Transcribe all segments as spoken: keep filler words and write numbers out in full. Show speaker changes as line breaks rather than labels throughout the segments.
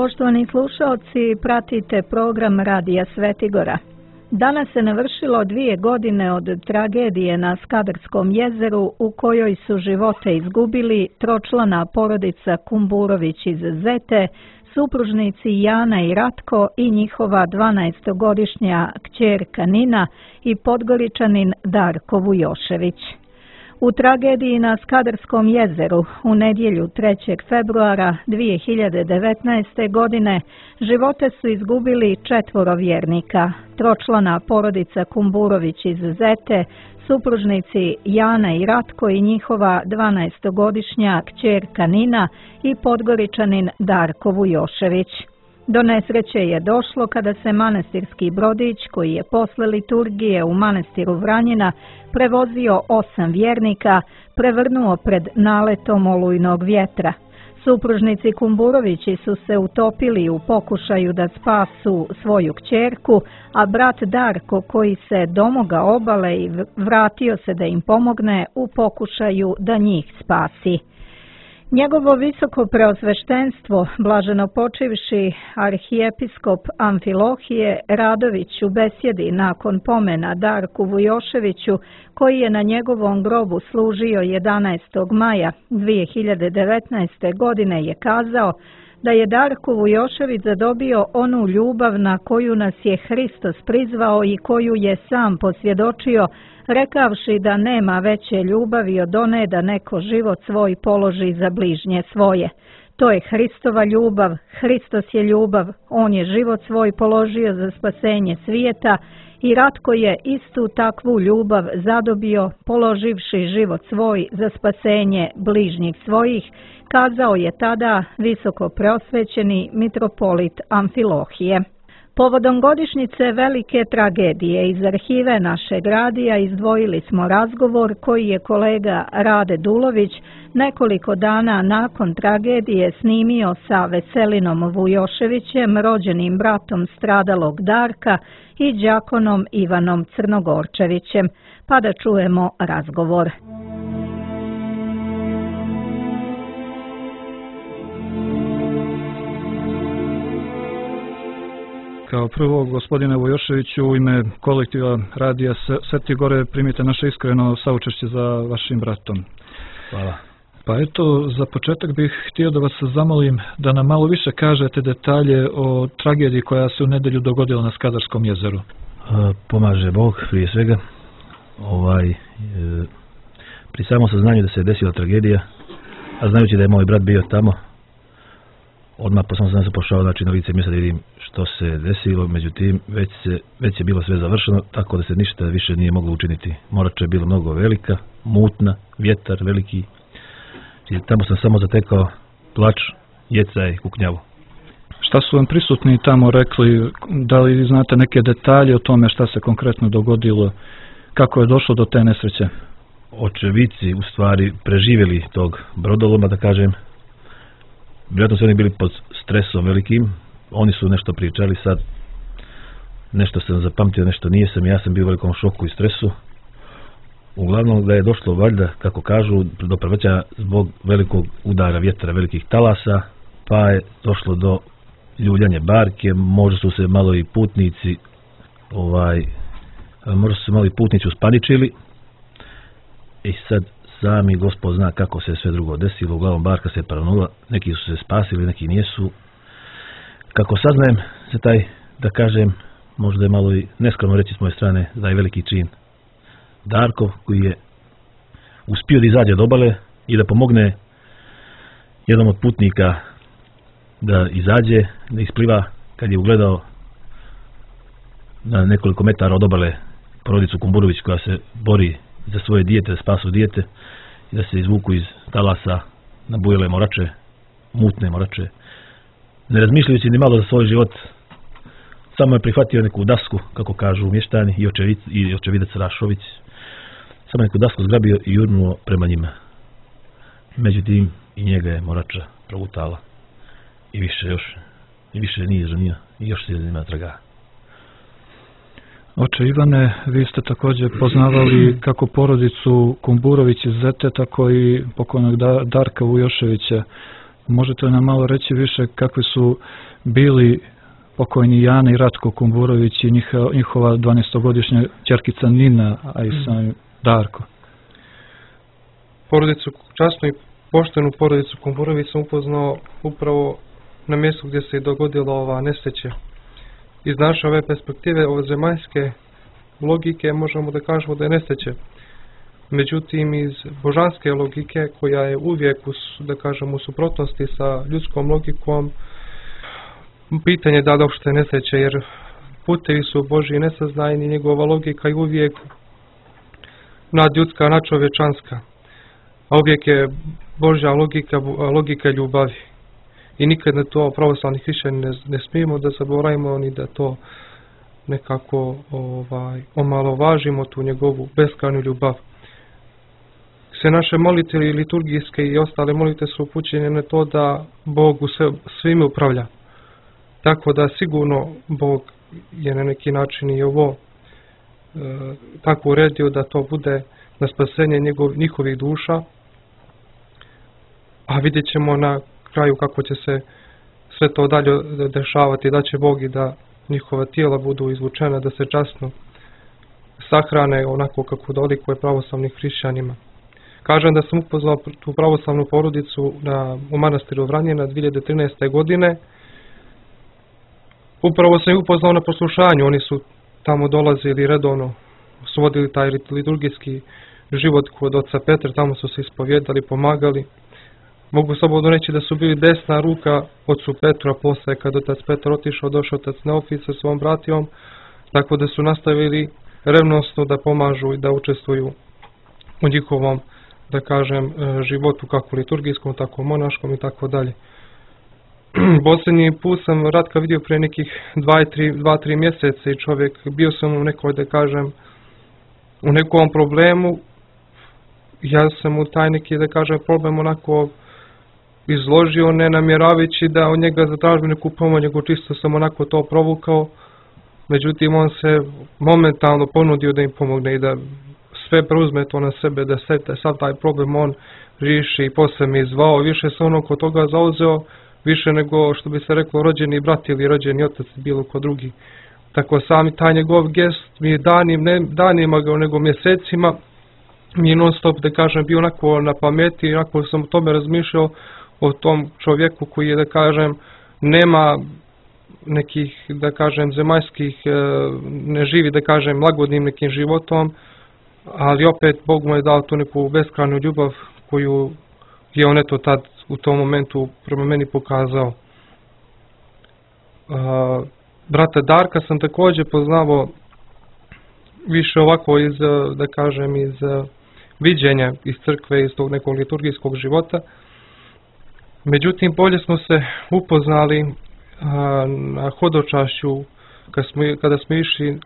Poštovani slušaoci, pratite program Radija Svetigora. Danas se navršilo dvije godine od tragedije na Skadarskom jezeru u kojoj su živote izgubili tročlana porodica Kumburović iz Zete, supružnici Jana i Ratko i njihova dvanaestogodišnja kćerka Nina i Podgoričanin Darko Vujošević. U tragediji na Skadarskom jezeru u nedjelju trećeg februara dvije hiljade devetnaeste. godine živote su izgubili četvoro vjernika, tročlana porodica Kumburović iz Zete, supružnici Jana i Ratko i njihova dvanaestogodišnja kćerka Nina i Podgoričanin Darko Vujošević. Do nesreće je došlo kada se manastirski brodić, koji je posle liturgije u manastiru Vranjina prevozio osam vjernika, prevrnuo pred naletom olujnog vjetra. Supružnici Kumburovići su se utopili u pokušaju da spasu svoju kćerku, a brat Darko, koji se domogao obale i vratio se da im pomogne u pokušaju da njih spasi. Njegovo visoko preosveštenstvo, blaženo počivši arhijepiskop Amfilohije Radović u besjedi nakon pomena Darku Vujoševiću, koji je na njegovom grobu služio jedanaestog maja dvije hiljade devetnaeste. godine, je kazao da je Darko Vujošević zadobio onu ljubav na koju nas je Hristos prizvao i koju je sam posvjedočio, rekavši da nema veće ljubavi od one da neko život svoj položi za bližnje svoje. To je Hristova ljubav, Hristos je ljubav, on je život svoj položio za spasenje svijeta i Ratko je istu takvu ljubav zadobio položivši život svoj za spasenje bližnjih svojih, kazao je tada visoko preosvećeni mitropolit Amfilohije. Povodom godišnjice velike tragedije iz arhive našeg radija izdvojili smo razgovor koji je kolega Rade Dulović nekoliko dana nakon tragedije snimio sa Veselinom Vujoševićem, rođenim bratom stradalog Darka, i đakonom Ivanom Crnogorčevićem. Pa da čujemo razgovor.
Kao prvo, gospodine Vujoševiću, u ime kolektiva Radija Svetigore primite naše iskreno saučešće za vašim bratom.
Hvala.
Pa eto, za početak bih htio da vas zamolim da nam malo više kažete detalje o tragediji koja se u nedjelju dogodila na Skadarskom jezeru.
A, pomaže Bog prije svega. Ovaj, e, pri samom saznanju da se je desila tragedija, a znajući da je moj brat bio tamo, odmah po sam se pošao znači, na lice mjesta da vidim što se desilo, međutim već, se, već je bilo sve završeno, tako da se ništa više nije moglo učiniti. Morača je bila mnogo velika, mutna, vjetar veliki, i tamo sam samo zatekao plač, jecaj, kuknjavu.
Šta su vam prisutni tamo rekli, da li znate neke detalje o tome šta se konkretno dogodilo, kako je došlo do te nesreće?
Očevici u stvari preživjeli tog brodoloma, da kažem. Vjerojatno su oni bili pod stresom velikim, oni su nešto pričali sad, nešto sam zapamtio, nešto nije sam, ja sam bio u velikom šoku i stresu. Uglavnom da je došlo valjda, kako kažu, do prevrća zbog velikog udara vjetra, velikih talasa, pa je došlo do ljuljanja barke, možda su se malo i putnici, ovaj, možda su se malo i putnici uspaničili i sad sami Gospod zna kako se sve drugo desilo, uglavnom barka se paranula, neki su se spasili, neki nijesu. Kako saznajem se taj, da kažem, možda je malo i neskromno reći s moje strane, da je veliki čin Darko, koji je uspio da izađe od obale i da pomogne jednom od putnika da izađe, da ispliva, kad je ugledao na nekoliko metara od obale porodicu Kumburović koja se bori za svoje dijete, da spasu dijete i da se izvuku iz talasa na bujele morače, mutne morače. Ne razmišljajući ni malo za svoj život, samo je prihvatio neku dasku, kako kažu mještani i, očevic, i očevidac Rašović. Samo neku dasku zgrabio i jurnuo prema njima. Međutim, i njega je morača progutala. I više još, i više nije žanija, i još se nema traga.
Oče Ivane, vi ste također poznavali kako porodicu Kumburović iz Zete, tako i pokojnog Darka Vujoševića. možete li nam malo reći više kakvi su bili pokojni Jana i Ratko Kumburović i njihova dvanaestogodišnja ćerkica Nina, a i sam Darko?
Porodicu, časnu i poštenu porodicu Kumburović sam upoznao upravo na mjestu gdje se je dogodila ova nesreća. Iz naše ove perspektive, ove zemaljske logike, možemo da kažemo da je nesreće. Međutim, iz božanske logike, koja je uvijek u, da kažem, u suprotnosti sa ljudskom logikom, pitanje je da li uopšte nesreće, jer putevi su Božji nesaznajni, njegova logika je uvijek nadljudska, nadčovječanska. A uvijek je Božja logika, logika ljubavi. I nikad na to pravoslavni hrišćani ne, ne smijemo da zaboravimo ni da to nekako ovaj, omalovažimo, tu njegovu beskrajnu ljubav. Sve naše molitve liturgijske i ostale molitve su upućene na to da Bog u sve, svime upravlja. Tako da sigurno Bog je na neki način i ovo e, tako uredio da to bude na spasenje njegov, njihovih duša, a vidjet ćemo na kraju kako će se sve to dalje dešavati, da će Bog i da njihova tijela budu izvučena, da se časno sahrane onako kako dolikuje pravoslavnim hrišćanima. Kažem da sam upoznao tu pravoslavnu porodicu na, u manastiru Vranjena dvije hiljade trinaeste. godine. Upravo sam ih upoznao na poslušanju, oni su tamo dolazili redovno, su vodili taj liturgijski život kod oca Petra, tamo su se ispovjedali, pomagali. Mogu slobodno reći da su bili desna ruka ocu Petru, a posle kad otac Petar otišao, došao otac Neofit sa svom bratijom, tako da su nastavili revnosno da pomažu i da učestvuju u njihovom, da kažem, životu, kako liturgijskom, tako monaškom i tako dalje. Posljednji put sam Ratka vidio prije nekih dva tri mjeseca i čovjek, bio sam u nekoj, da kažem, u nekom problemu. Ja sam u taj neki, da kažem, problem onako izložio, ne namjeravajući da od njega zatražim neku pomoć, nego čisto sam onako to provukao. Međutim, on se momentalno ponudio da im pomogne i da sve preuzme to na sebe, da se sav taj problem on riješi i posle mi zvao. Više se ono kod toga zauzeo, više nego što bi se reklo rođeni brat ili rođeni otac, bilo ko drugi. Tako sami taj njegov gest mi je danim, ne danima ga, nego mjesecima mi je non stop, da kažem, bio onako na pameti i onako sam o tome razmišljao, o tom čovjeku koji je, da kažem, nema nekih, da kažem, zemaljskih, ne živi, da kažem, lagodnim nekim životom, ali opet Bog mu je dao tu neku beskrajnu ljubav koju je on eto tad u tom momentu prema meni pokazao. Uh, brata Darka sam također poznavao više ovako iz, da kažem, iz viđenja iz crkve, iz tog nekog liturgijskog života. Međutim, bolje smo se upoznali uh, na hodočašću kada smo, kada smo išli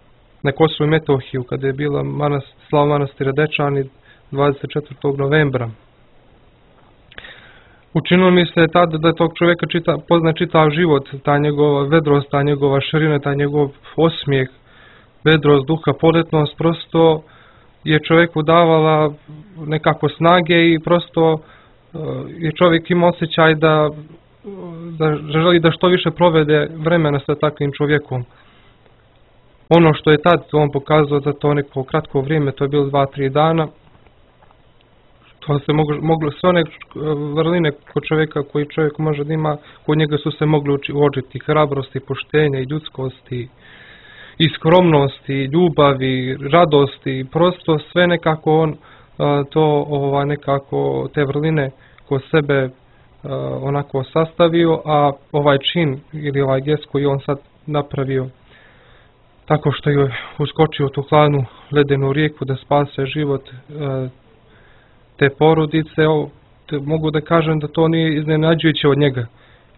na Kosovo i Metohiju, kada je bila manast, slava manastira Dečani dvadeset četvrtog novembra. Učinilo mi se tada da tog čovjeka čita, pozna čitav život, ta njegova vedrost, ta njegova širina, ta njegov osmijeh, vedrost, duha, poletnost, prosto je čovjeku davala nekako snage i prosto uh, je čovjek imao osjećaj da, da želi da što više provede vremena sa takvim čovjekom. Ono što je tad on pokazao za to neko kratko vrijeme, to je bilo dva tri dana, to se moglo, moglo sve one vrline kod čovjeka koji čovjek može da ima, kod njega su se mogli uočiti hrabrosti, poštenja i ljudskosti, i skromnosti, i ljubavi, radosti, prosto sve nekako on to ovaj, nekako te vrline kod sebe onako sastavio, a ovaj čin ili ovaj gest koji on sad napravio tako što je uskočio u tu hladnu ledenu rijeku da spase život te porodice, o, te, mogu da kažem da to nije iznenađujuće od njega,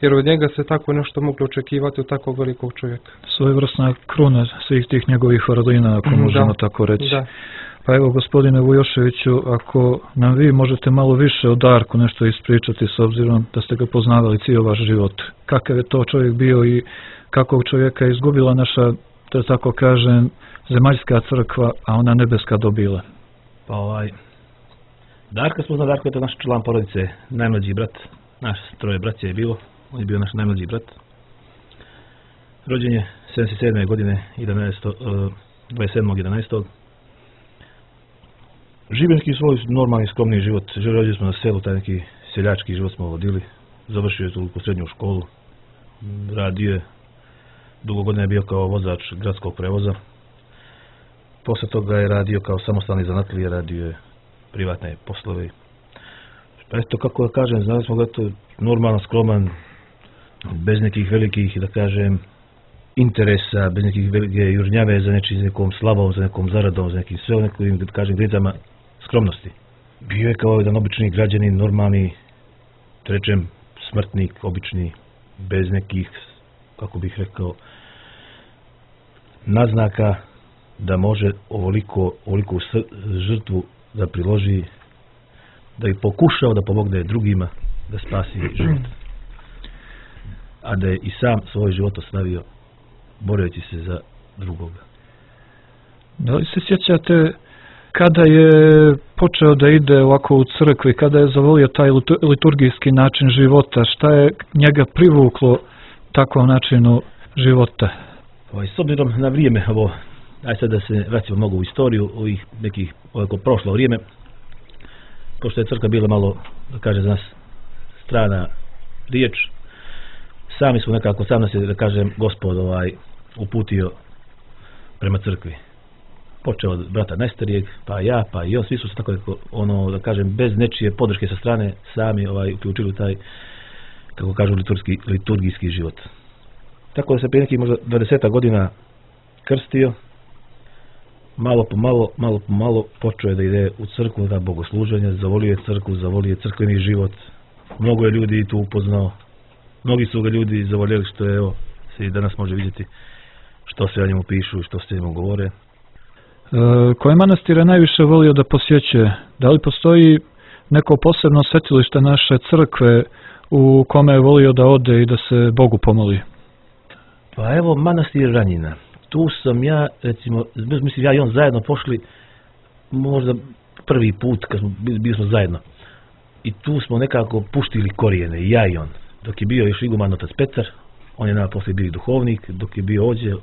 jer od njega se tako nešto moglo očekivati od takvog velikog čovjeka.
Svojevrsna kruna svih tih njegovih vrlina, ako možemo
da,
tako reći.
Da.
Pa evo, gospodine Vujoševiću, ako nam vi možete malo više o Darku nešto ispričati, s obzirom da ste ga poznavali cijel vaš život. Kakav je to čovjek bio i kakvog čovjeka je izgubila naša, da tako kažem, zemaljska crkva, a ona nebeska dobila?
Pa ovaj, Darka smo zna, Darko je to naš član porodice, najmlađi brat, naš troje braća je bilo, on je bio naš najmlađi brat. Rođen je sedamdeset sedme godine, dvadeset sedmog jedanaestog Živio neki svoj normalni, skromni život. Živjeli smo na selu, taj neki seljački život smo vodili. Završio je tu srednju školu. Radio je, dugo godina je bio kao vozač gradskog prevoza. Posle toga je radio kao samostalni zanatlija, radio je privatne poslove. Pa eto, kako da kažem, znali smo ga to normalan, skroman, bez nekih velikih, da kažem, interesa, bez nekih velike južnjave za nečim, nekom slavom, za nekom zaradom, za nekim sve nekim, da kažem, gricama skromnosti. Bio je kao jedan obični građanin, normalni, rečem, smrtnik, obični, bez nekih, kako bih rekao, naznaka da može ovoliko, ovoliku žrtvu da priloži, da je pokušao da pomogne drugima da spasi život. A da je i sam svoj život ostavio boreći se za drugoga.
Da li se sjećate kada je počeo da ide ovako u crkvi, kada je zavolio taj liturgijski način života, šta je njega privuklo takvom načinu života?
Ovaj, s obzirom na vrijeme, ovo, aj sad da se vratimo mnogo u istoriju, ovih nekih, ovako prošlo vrijeme, pošto je crkva bila malo, da kaže za nas, strana riječ, sami smo nekako, sam nas je, da kažem, Gospod ovaj, uputio prema crkvi. Počeo od brata najstarijeg, pa ja, pa i on, svi su se tako, ono, da kažem, bez nečije podrške sa strane, sami ovaj, uključili taj, kako kažu, liturgijski, liturgijski život. Tako da se prije nekih možda dvadeset godina krstio, malo po malo, malo po malo počeo je da ide u crkvu na bogosluženje, zavolio je crkvu, zavolio je crkveni život. Mnogo je ljudi tu upoznao, mnogi su ga ljudi zavoljeli, što je, evo, se i danas može vidjeti što se o njemu pišu i što se o njemu govore.
E, koje manastire najviše volio da posjećuje? Da li postoji neko posebno svetilište naše crkve u kome je volio da ode i da se Bogu pomoli?
Pa evo, manastir Ranjina. Tu sam ja, recimo, mislim, ja i on zajedno pošli možda prvi put kad smo bili smo zajedno. I tu smo nekako puštili korijene, ja i on. Dok je bio još iguman otac Petar, on je nama poslije bio duhovnik, dok je bio ovdje,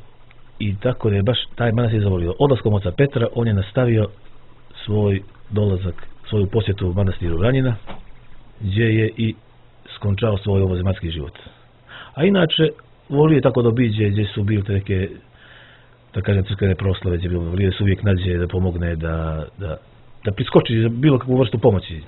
i tako da je baš taj manastir zavolio. Odlaskom oca Petra on je nastavio svoj dolazak, svoju posjetu manastiru Ranjina, gdje je i skončao svoj ovozemaljski život. A inače, volio je tako da obiđe gdje su bili neke, da kažem, crkvene proslave, gdje bilo, volio se uvijek nađe da pomogne, da, da, da priskoči za bilo kakvu vrstu pomoći.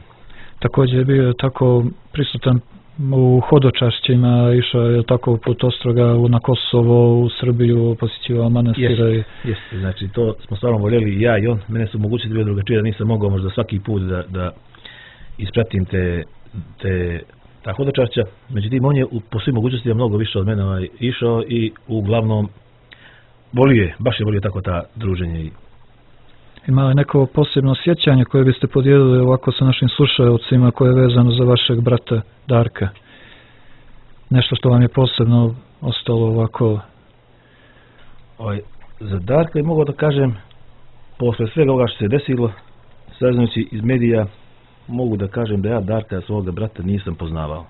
Također je bio tako prisutan u hodočašćima, išao je tako put Ostroga na Kosovo, u Srbiju, posjećivao manastira.
Jeste, jeste, znači to smo stvarno voljeli ja i on. Mene su mogućnosti bio drugačije, da nisam mogao možda svaki put da, da ispratim te, te ta hodočašća. Međutim, on je po svim mogućnostima mnogo više od mene ovaj, išao i uglavnom volio je, baš je volio tako ta druženje.
Ima li neko posebno sjećanje koje biste podijelili ovako sa našim slušaocima koje je vezano za vašeg brata Darka? Nešto što vam je posebno ostalo ovako?
Oj, za Darka je mogao da kažem, posle svega ovoga što se desilo, saznajući iz medija, mogu da kažem da ja Darka, svoga brata, nisam poznavao.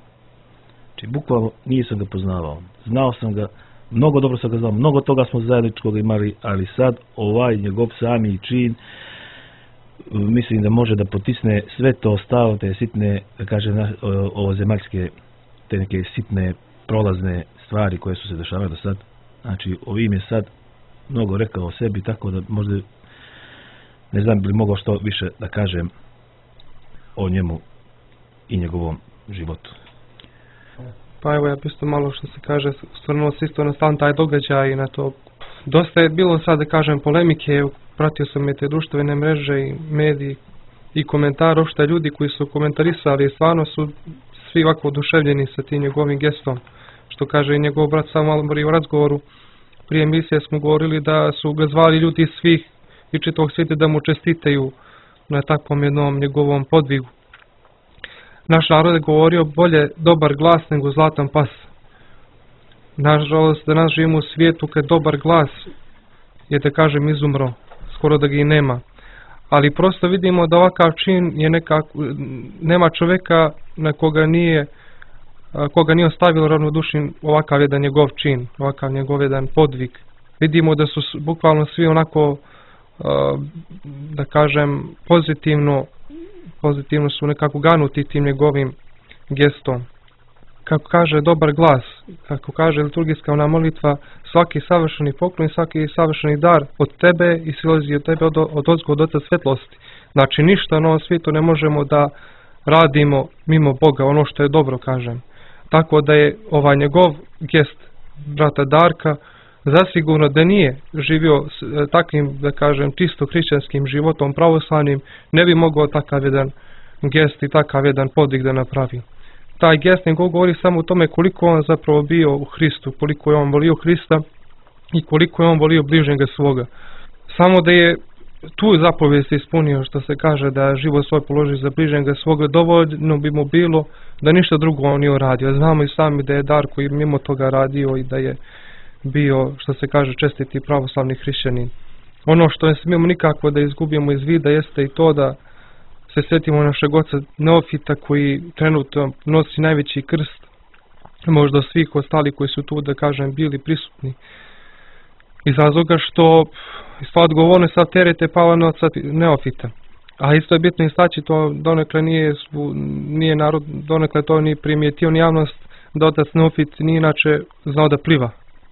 Znači, bukvalno nisam ga poznavao. Znao sam ga, mnogo dobro sam ga znao, mnogo toga smo zajedničkog imali, ali sad ovaj njegov sami čin, mislim da može da potisne sve to ostalo, te sitne, da kažem, ovozemaljske, te neke sitne, prolazne stvari koje su se dešavale do sad. Znači, ovim je sad mnogo rekao o sebi, tako da možda, ne znam bi li mogao što više da kažem o njemu i njegovom životu.
Pa evo, ja bi isto malo što se kaže, stvarno se isto na stan taj događaj i na to. Dosta je bilo sad, da kažem, polemike, pratio sam i te društvene mreže i mediji i komentara, uopšte ljudi koji su komentarisali, stvarno su svi ovako oduševljeni sa tim njegovim gestom, što kaže i njegov brat sam malo u razgovoru. Prije emisije smo govorili da su ga zvali ljudi iz svih i čitavog svijeta da mu čestitaju na takvom jednom njegovom podvigu. Naš narod je govorio bolje dobar glas nego zlatan pas. Nažalost, da nas živimo u svijetu kad dobar glas je, da kažem, izumro, skoro da ga i nema. Ali prosto vidimo da ovakav čin je nekako, nema čovjeka na koga nije koga nije ostavilo ravnodušnim ovakav jedan njegov čin, ovakav njegov jedan podvig. Vidimo da su bukvalno svi onako, da kažem, pozitivno, pozitivno su nekako ganuti tim njegovim gestom. Kako kaže dobar glas, kako kaže liturgijska ona molitva, svaki savršeni poklon, svaki savršeni dar od tebe i silazi od tebe od, od ozgo od Oca svetlosti. Znači ništa na ovom svijetu ne možemo da radimo mimo Boga, ono što je dobro, kažem. Tako da je ovaj njegov gest brata Darka zasigurno da nije živio s takvim, da kažem, čisto hrišćanskim životom pravoslavnim, ne bi mogao takav jedan gest i takav jedan podvig da napravi. Taj gest nego govori samo o tome koliko on zapravo bio u Hristu, koliko je on volio Hrista i koliko je on volio bližnjega svoga. Samo da je tu zapovijest ispunio, što se kaže da život svoj položi za bližnjega svoga, dovoljno bi mu bilo da ništa drugo on nije uradio. Znamo i sami da je Darko i mimo toga radio i da je bio, što se kaže, čestiti pravoslavni hrišćanin. Ono što ne smijemo nikako da izgubimo iz vida jeste i to da se sjetimo našeg oca Neofita koji trenutno nosi najveći krst, možda svih ostali koji su tu, da kažem, bili prisutni. Iz razloga što sva odgovornost, sav teret je pala na oca Neofita. A isto je bitno istaći, to donekle nije, nije narod, donekle to nije primijetio ni javnost, da otac Neofit nije inače znao da pliva.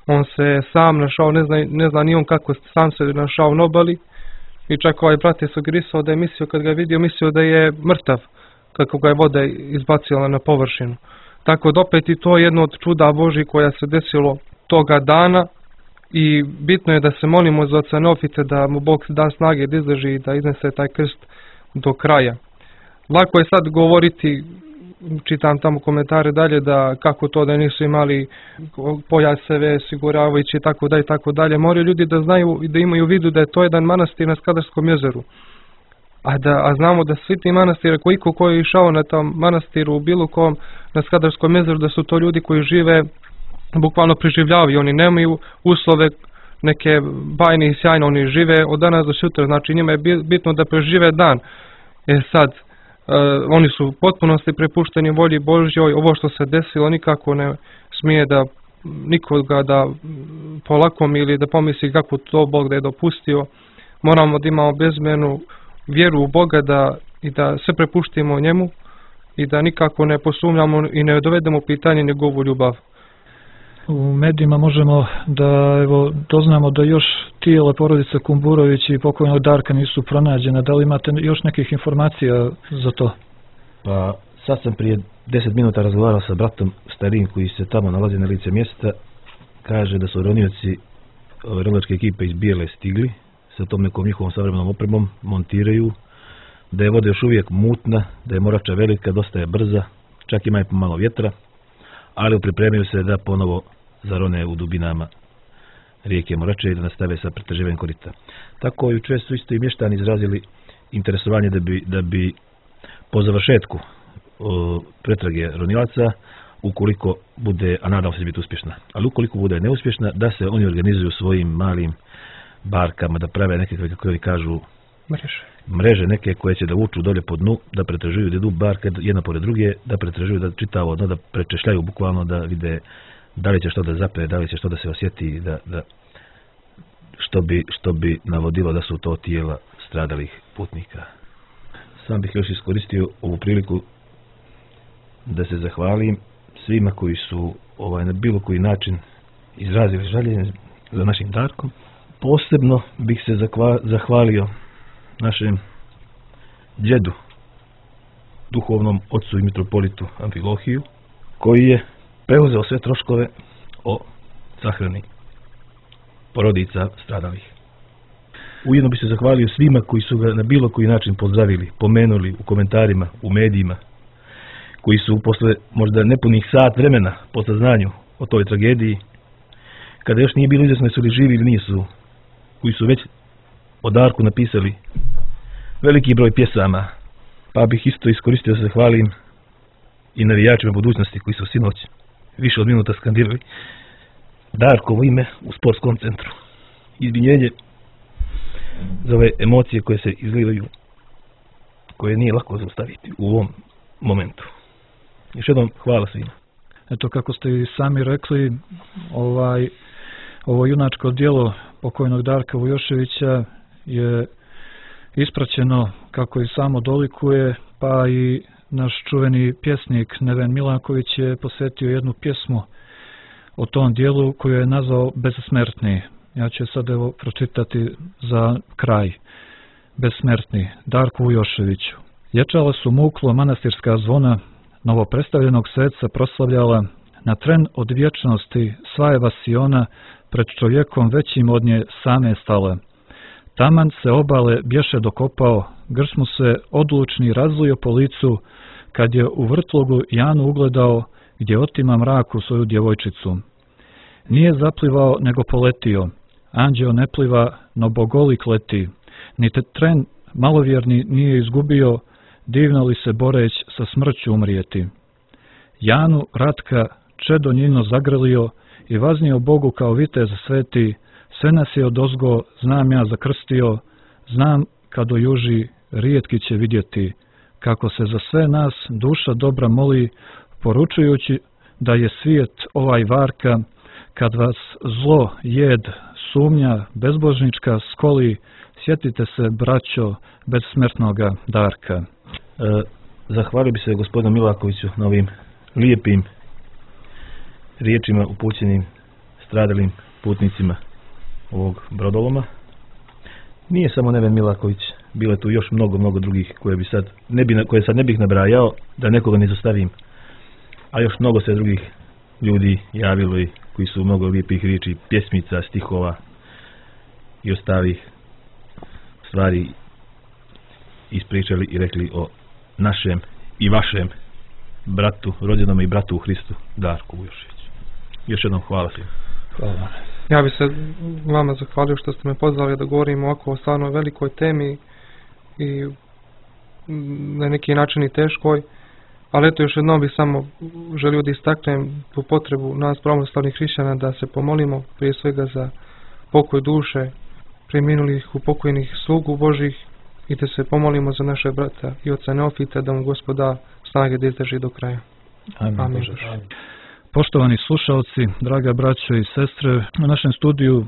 On se sam našao, ne zna, ne zna ni on kako sam se našao na obali. I čak ovaj brat je sugerisao da je mislio, kad ga je vidio, mislio da je mrtav, kako ga je voda izbacila na površinu. Tako da opet i to je jedno od čuda Božji koja se desilo toga dana i bitno je da se molimo za oca Neofita da mu Bog da snage da izdrži i da iznese taj krst do kraja. Lako je sad govoriti, čitam tamo komentare dalje, da kako to da nisu imali pojaseve, siguravajući i tako dalje, tako dalje. Moraju ljudi da znaju i da imaju u vidu da je to jedan manastir na Skadarskom jezeru. A, da, a znamo da svi ti manastire, koliko ko je išao na tom manastiru u bilo kom na Skadarskom jezeru, da su to ljudi koji žive, bukvalno preživljavaju. Oni nemaju uslove neke bajne i sjajne, oni žive od danas do sutra. Znači njima je bitno da prežive dan. E sad, Uh, oni su u potpunosti prepušteni volji Božjoj. Ovo što se desilo nikako ne smije da nikoga da polakom ili da pomisli kako to Bog da je dopustio. Moramo da imamo bezmjernu vjeru u Boga da, i da se prepuštimo njemu i da nikako ne posumnjamo i ne dovedemo pitanje njegovu ljubav.
U medijima možemo da evo, doznamo da još tijela porodice Kumburović i pokojnog Darka nisu pronađena. Da li imate još nekih informacija za to?
Pa sad sam prije deset minuta razgovarao sa bratom starijim koji se tamo nalazi na lice mjesta. Kaže da su ronioci ronilačke ekipe iz Bijele stigli sa tom nekom njihovom savremenom opremom, montiraju, da je voda još uvijek mutna, da je morača velika, dosta je brza, čak ima i pomalo vjetra, ali pripremaju se da ponovo zarone u dubinama rijeke Morače i da nastave sa pretraživanjem korita. Tako jučer su isto i mještani izrazili interesovanje da bi, da bi po završetku o, pretrage ronilaca, ukoliko bude, a nadam se da biti uspješna, ali ukoliko bude neuspješna, da se oni organizuju svojim malim barkama, da prave neke, kako oni kažu,
mreže.
mreže neke koje će da vuču dolje po dnu, da pretražuju, da idu barke jedna pored druge, da pretražuju, da čitavo dno, da prečešljaju bukvalno, da vide da li će što da zape, da li će što da se osjeti, da, da što bi, što bi navodilo da su to tijela stradalih putnika. Sam bih još iskoristio ovu priliku da se zahvalim svima koji su ovaj, na bilo koji način izrazili žaljenje za našim Darkom. Posebno bih se zakva, zahvalio našem djedu, duhovnom ocu i mitropolitu Amfilohiju, koji je preuzeo sve troškove o sahrani porodica stradalih. Ujedno bi se zahvalio svima koji su ga na bilo koji način pozdravili, pomenuli u komentarima, u medijima, koji su posle možda nepunih sat vremena po saznanju o toj tragediji, kada još nije bilo izjasno su li živi ili nisu, koji su već o Darku napisali veliki broj pjesama, pa bih isto iskoristio da se zahvalim i navijačima budućnosti koji su sinoć više od minuta skandirali Darkovo ime u sportskom centru. Izvinjenje za ove emocije koje se izlivaju, koje nije lako zaustaviti u ovom momentu. Još jednom hvala svima.
Eto, kako ste i sami rekli, ovaj, ovo junačko djelo pokojnog Darka Vujoševića je ispraćeno, kako i samo dolikuje, pa i naš čuveni pjesnik Neven Milanković je posvetio jednu pjesmu o tom dijelu koju je nazvao Bezsmrtni. Ja ću sad evo pročitati za kraj. Bezsmrtni, Darku Vujoševiću. Ječala su muklo manastirska zvona, novopredstavljenog sveca proslavljala, na tren od vječnosti sva je vasiona pred čovjekom većim od nje same stala. Taman se obale bješe dokopao, grš mu se odlučni razlio po licu, kad je u vrtlogu Janu ugledao, gdje otima mraku svoju djevojčicu. Nije zaplivao, nego poletio, anđeo ne pliva, no bogolik leti, ni te tren malovjerni nije izgubio, divno li se boreć sa smrću umrijeti. Janu Ratka čedo njino zagrlio i vaznio Bogu kao vitez sveti, sve nas je odozgo, znam ja zakrstio, znam kad ojuži, rijetki će vidjeti, kako se za sve nas duša dobra moli, poručujući da je svijet ovaj varka, kad vas zlo, jed, sumnja, bezbožnička skoli, sjetite se, braćo, bezsmrtnoga Darka.
E, zahvalio bi se gospodinu Milakoviću na ovim lijepim riječima upućenim stradalim putnicima ovog brodoloma. Nije samo Neven Milaković, bilo je tu još mnogo, mnogo drugih koje, bi sad, ne bi, koje sad ne bih nabrajao, da nekoga ne zastavim, a još mnogo se drugih ljudi javilo i koji su mnogo lijepih riječi, pjesmica, stihova i ostalih stvari ispričali i rekli o našem i vašem bratu, rođenom i bratu u Hristu, Darku Vujoševiću. Još jednom hvala svima.
Hvala.
Ja bih se vama zahvalio što ste me pozvali da govorim ovako o stvarno velikoj temi i na neki način i teškoj, ali eto još jednom bih samo želio da istaknem tu potrebu nas pravoslavnih hrišćana da se pomolimo prije svega za pokoj duše preminulih upokojnih slugu Božih i da se pomolimo za naše brata i oca Neofita, da mu Gospod da snage da izdrži do kraja.
Amin.
Amin.
Amin. Poštovani slušalci, draga braćo i sestre, u našem studiju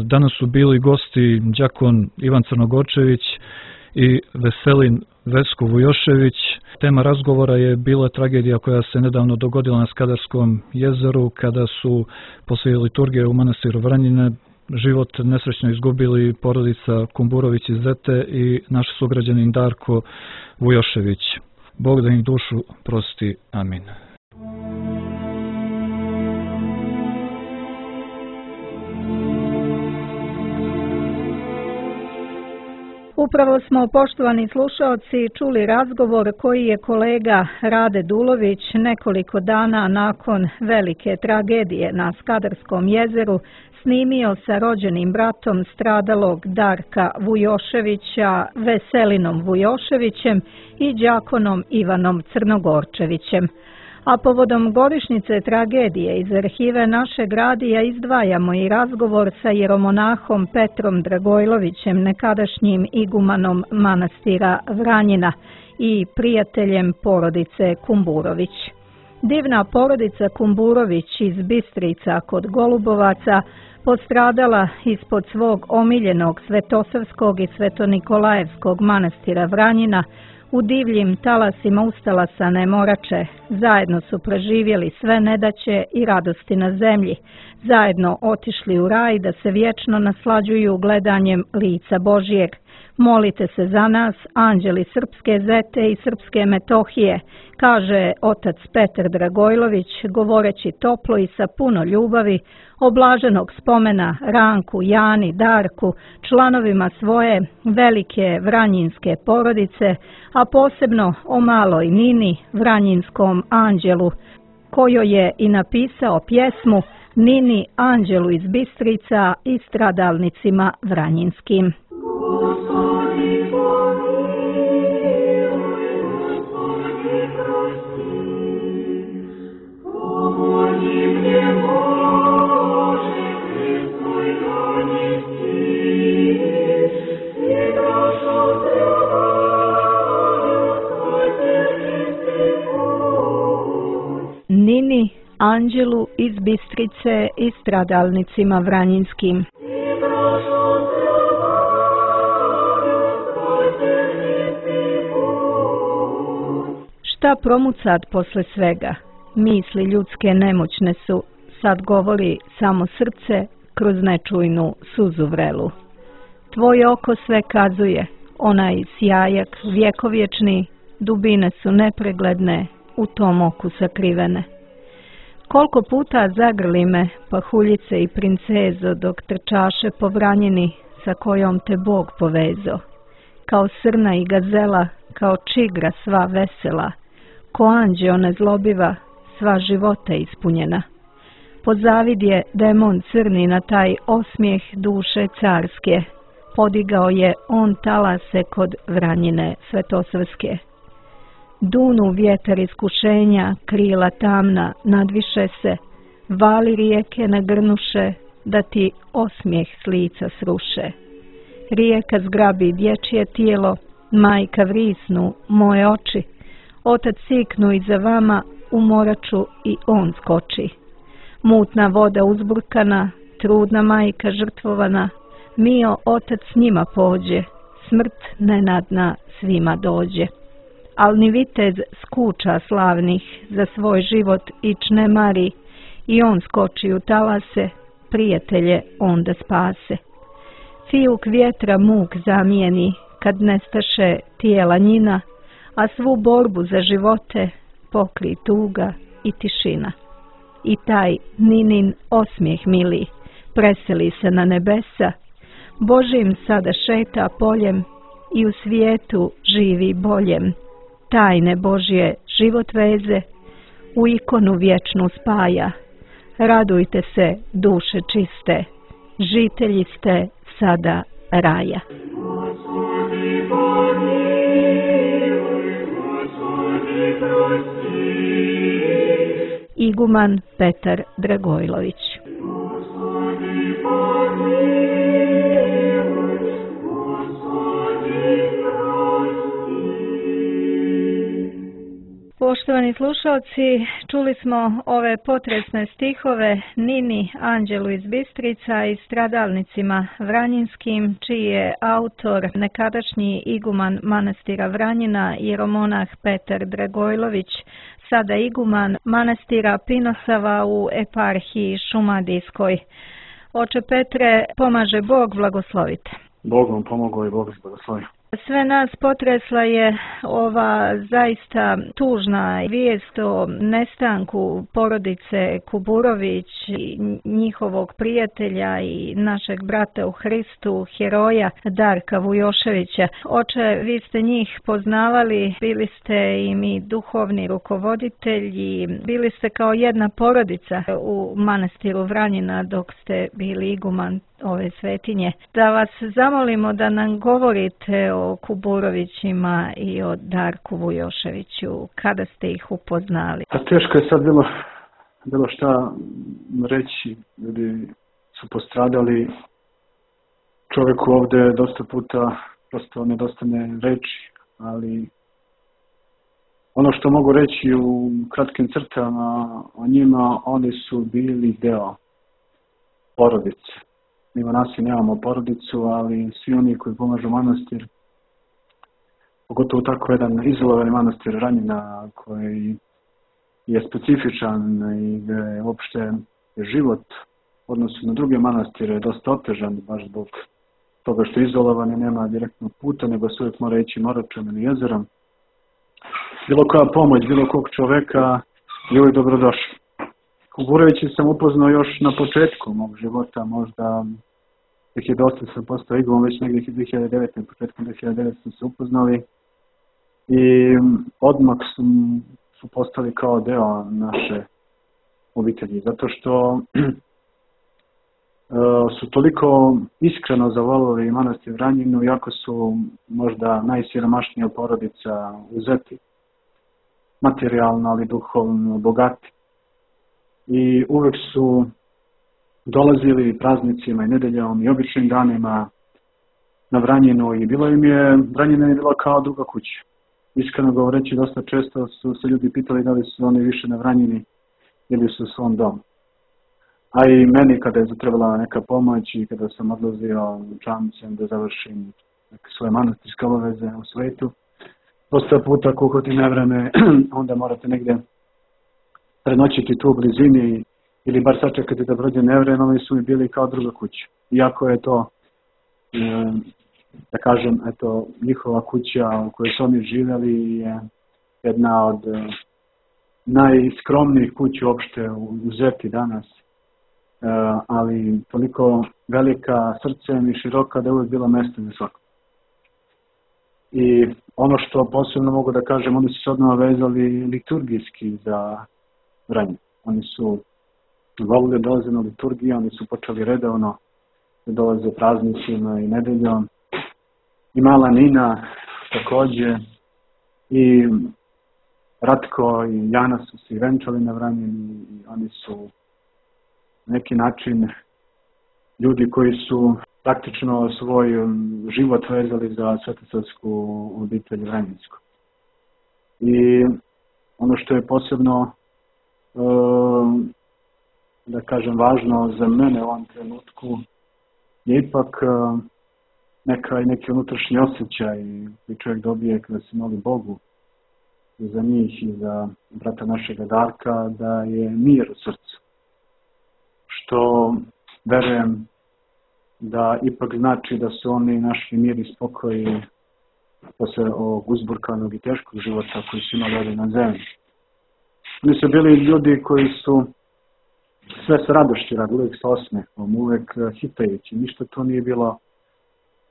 danas su bili gosti đakon Ivan Crnogorčević i Veselin Vesko Vujošević. Tema razgovora je bila tragedija koja se nedavno dogodila na Skadarskom jezeru, kada su poslije liturgije u manastiru Vranjine život nesrećno izgubili porodica Kumburović iz Zete i naš sugrađanin Darko Vujošević. Bog da im dušu prosti. Amin.
Upravo smo, poštovani slušaoci, čuli razgovor koji je kolega Rade Dulović nekoliko dana nakon velike tragedije na Skadarskom jezeru snimio sa rođenim bratom stradalog Darka Vujoševića, Veselinom Vujoševićem i đakonom Ivanom Crnogorčevićem. A povodom godišnjice tragedije iz arhive našeg radija izdvajamo i razgovor sa jeromonahom Petrom Dragojlovićem, nekadašnjim igumanom manastira Vranjina i prijateljem porodice Kumburović. Divna porodica Kumburović iz Bistrica kod Golubovaca postradala ispod svog omiljenog Svetosavskog i Svetonikolajevskog manastira Vranjina u divljim talasima ustalasane Morače. Zajedno su preživjeli sve nedaće i radosti na zemlji. Zajedno otišli u raj da se vječno naslađuju gledanjem lica Božijeg. Molite se za nas, anđeli Srpske Zete i Srpske Metohije, kaže otac Petar Dragojlović, govoreći toplo i sa puno ljubavi o blaženog spomena Ranku, Jani, Darku, članovima svoje velike vranjinske porodice, a posebno o maloj Nini, vranjinskom anđelu, kojo je i napisao pjesmu Nini, anđelu iz Bistrica i stradalnicima vranjinskim. Nini, Anđelu iz Bistrice i stradalnicima vranjinskim. Šta promucat posle svega? Misli ljudske nemoćne su, sad govori samo srce kroz nečujnu suzu vrelu. Tvoje oko sve kazuje, onaj sjajak vjekovječni, dubine su nepregledne, u tom oku sakrivene. Koliko puta zagrli me pahuljice i princezo dok trčaše po vranjini sa kojom te Bog povezo. Kao srna i gazela, kao čigra sva vesela, ko anđeo nezlobiva, sva života ispunjena. Pozavidje demon crni na taj osmijeh duše carske, podigao je on talase kod vranjine svetosvrske. Dunu vjetar iskušenja, krila tamna, nadviše se, vali rijeke nagrnuše, da ti osmijeh s lica sruše. Rijeka zgrabi dječje tijelo, majka vrisnu, moje oči, otac siknu iza vama, u moraču i on skoči. Mutna voda uzburkana, trudna majka žrtvovana, mio otac s njima pođe, smrt nenadna svima dođe. Al ni vitez skuča slavnih za svoj život ić ne mari, i on skoči u talase, prijatelje onda spase. Fijuk vjetra muk zamijeni, kad nestaše tijela njina, a svu borbu za živote pokri tuga i tišina. I taj Ninin osmijeh mili, preseli se na nebesa, Božim sada šeta poljem i u svijetu živi boljem. Tajne Božje život veze, u ikonu vječnu spaja. Radujte se, duše čiste, žitelji ste sada raja. Iguman Petar Dragojlović. Poštovani slušalci, čuli smo ove potresne stihove Nini, anđelu iz Bistrica i stradalnicima vranjinskim, čiji je autor nekadašnji iguman manastira Vranjina, jeromonah Petar Dragojlović, sada iguman manastira Pinosava u eparhiji Šumadijskoj. Oče Petre, pomaže Bog, blagoslovite.
Bog vam pomogao i Bog vas blagoslovi.
Sve nas potresla je ova zaista tužna vijest o nestanku porodice Kuburović i njihovog prijatelja i našeg brata u Hristu, heroja Darka Vujoševića. Oče, vi ste njih poznavali, bili ste i mi duhovni rukovoditelji, bili ste kao jedna porodica u manastiru Vranjina dok ste bili iguman ove svetinje. Da vas zamolimo da nam govorite o Kuburovićima i o Darku Vujoševiću, kada ste ih upoznali.
A teško je sad bilo, bilo šta reći, ljudi su postradali, čovjeku ovdje dosta puta prosto nedostane reći, ali ono što mogu reći u kratkim crtama o njima, oni su bili deo porodice. Mi monasi nemamo porodicu, ali svi oni koji pomažu manastir, pogotovo tako jedan izolovani manastir Vranjina koji je specifičan i gdje je uopšte život u odnosu na druge manastire je dosta otežan, baš zbog toga što je izolovan i nema direktnog puta, nego se uvijek mora ići moračom ili jezerom. Bilo koja pomoć, bilo kog čoveka je uvijek dobrodošla. Kuburovića sam upoznao još na početku mog života, možda dvije hiljade osam sam postao iguman, već negdje dvije hiljade devete. početkom dvije hiljade devete smo se upoznali i odmah su, su postali kao deo naše obitelji, zato što su toliko iskreno zavolili manastir Vranjinu, iako su možda najsiromašnija porodica uzeti, materijalno ali duhovno bogati. I uvek su dolazili praznicima i nedeljom i običnim danima na Vranjinu i bilo im je, Vranjina je bila kao druga kuća. Iskreno govoreći, dosta često su se ljudi pitali da li su oni više na Vranjini bili su u svom domu. A i meni kada je zatrebala neka pomoć i kada sam odlazio čamcem da završim neke svoje manastirske obaveze u svetu, dosta puta ako uhvati nevreme, onda morate negdje prenoćiti tu u blizini ili bar sačekati da prođe nevreme, oni su mi bili kao druga kuća. Iako je to, da kažem, eto, njihova kuća u kojoj su oni živjeli je jedna od najskromnijih kuća uopšte u Zeti danas. Ali toliko velika srcem i široka da je uvijek bilo mjesto za svako. I ono što posebno mogu da kažem, oni su se odmah vezali liturgijski za Vranje. Oni su volili dolaze na liturgiju, oni su počeli redovno da dolaze praznicima i nedeljom. I mala Nina također, i Ratko i Jana su se venčali na Vranjeni i oni su na neki način ljudi koji su praktično svoj život vezali za svetosavsku obitelj Vranjensku. I ono što je posebno, da kažem, važno za mene u ovom trenutku je ipak neka, neki unutrašnji osjećaj koji čovjek dobije kada se moli Bogu za njih i za brata našega Darka, da je mir u srcu. Što verujem da ipak znači da su oni našli mir i spokoj posle ovog uzburkanog i teškog života koji su imali ovdje na zemlji. Oni su bili ljudi koji su sve sa radošću radili, uvijek sa osmehom, uvijek hitajući. Ništa to nije bilo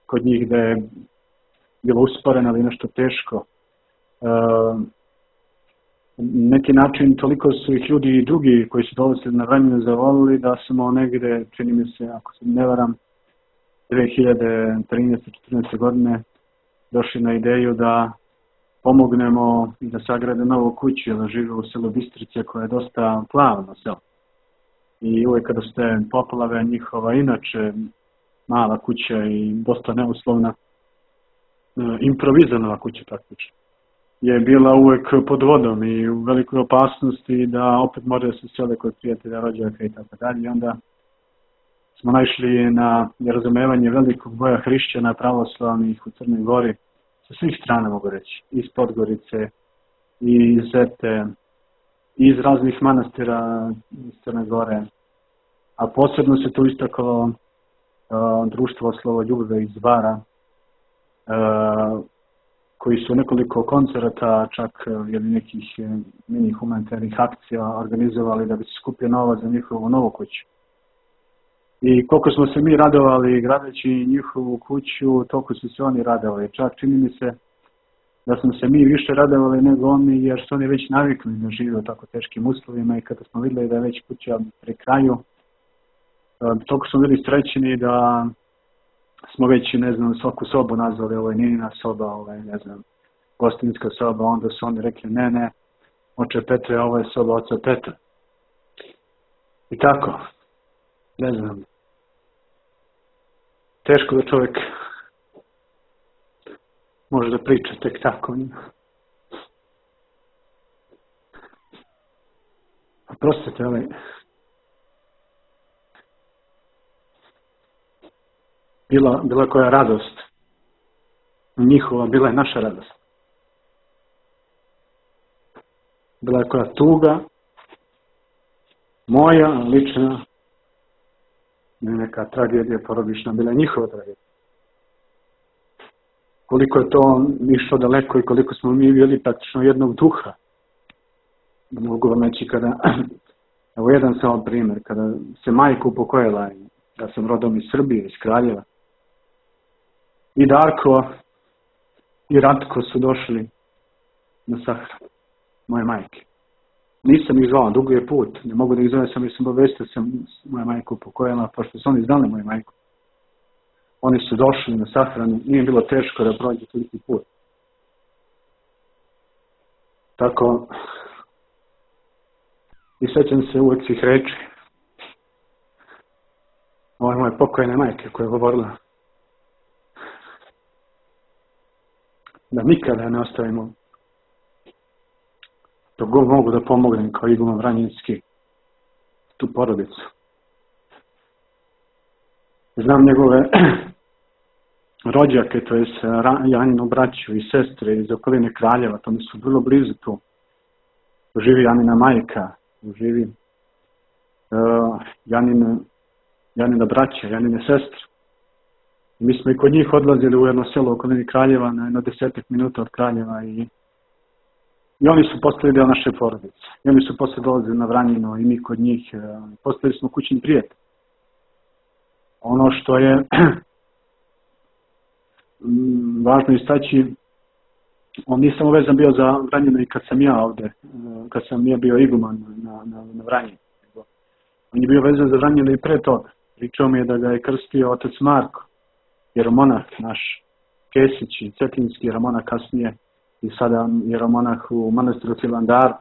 kod njih da je bilo usporeno ili nešto teško. E, neki način toliko su ih ljudi i drugi koji su dolazili na Vranje zavolili da smo negdje, čini mi se, ako se ne varam, dve hiljade trinaeste četrnaeste godine došli na ideju da pomognemo i da sagrade novu kuću, jer žive u selu Bistrice koja je dosta plavno selo. I uvijek kada ste poplave njihova, inače mala kuća i dosta neuslovna, improvizirana kuća praktično, je bila uvijek pod vodom i u velikoj opasnosti da opet moraju se sele kod prijatelja, rođaka i tako dalje. I onda smo naišli na razumevanje velikog broja hrišćana pravoslavnih u Crnoj Gori sa svih strana, mogu reći, iz Podgorice, iz Zete, iz raznih manastira iz Crne Gore, a posebno se tu istaklo uh, društvo Slavoljube iz Bara, uh, koji su nekoliko koncerata, čak ili nekih mini humanitarnih akcija organizovali da bi se skupio novac za njihovu novu kuću. I koliko smo se mi radovali gradeći njihovu kuću, toliko su se oni radovali. Čak čini mi se da smo se mi više radovali nego oni, jer su oni već navikli da žive u tako teškim uslovima i kada smo vidjeli da je već kuća pri kraju, toliko smo bili srećeni da smo već, ne znam, svaku sobu nazvali, ovo je Ninina soba, ovo je, ne znam, gostinska soba, onda su oni rekli, ne, ne, oče Petre, ovo je soba oca Petra. I tako, ne znam, teško da čovjek može da priča tek tako. Oprostite, ali bila, bila koja radost njihova, bila je naša radost. Bila je koja tuga, moja, lična, neka tragedija porodična, bila je njihova tragedija. Koliko je to išlo daleko i koliko smo mi bili praktično jednog duha. Mogu vam reći kada, evo jedan samo primjer, kada se majka upokojila, ja sam rodom iz Srbije, iz Kraljeva, i Darko i Ratko su došli na sahranu moje majke. Nisam ih zvao, dugo je put, ne mogu da ih zove, sam jer sam obavestio sam moja majka upokojila, pošto su oni znali moju majku. Oni su došli na sahranu, nije bilo teško da prođe toliki put. Tako, i sećam se uvek svih reči. Ovo je moje pokojne majke koja je govorila da nikada ne ostavimo dok god mogu da pomognem kao iguman Vranjinski, tu porodicu. Znam njegove rođake, to je Janinu braću i sestre iz okoline Kraljeva, to mi su vrlo blizu tu. Živi Janina majka, živi uh, Janina, Janina braća, Janine sestre. I mi smo i kod njih odlazili u jedno selo u okolini Kraljeva, na jedno desetak minuta od Kraljeva i, i oni su postali deo naše porodice. I oni su posle dolazili na Vranjino i mi kod njih. Uh, postali smo kućni prijatelji. Ono što je važno istaći, on nisam uvezan bio za Vranjino i kad sam ja ovde, kad sam ja bio iguman na, na, na Vranjinu. On je bio vezan za Vranjino i pre toga. Pričao mi je da ga je krstio otac Marko, jeromonah naš, Kesić i Cetinski jeromonah kasnije i sada jeromonah u manastiru Hilandaru.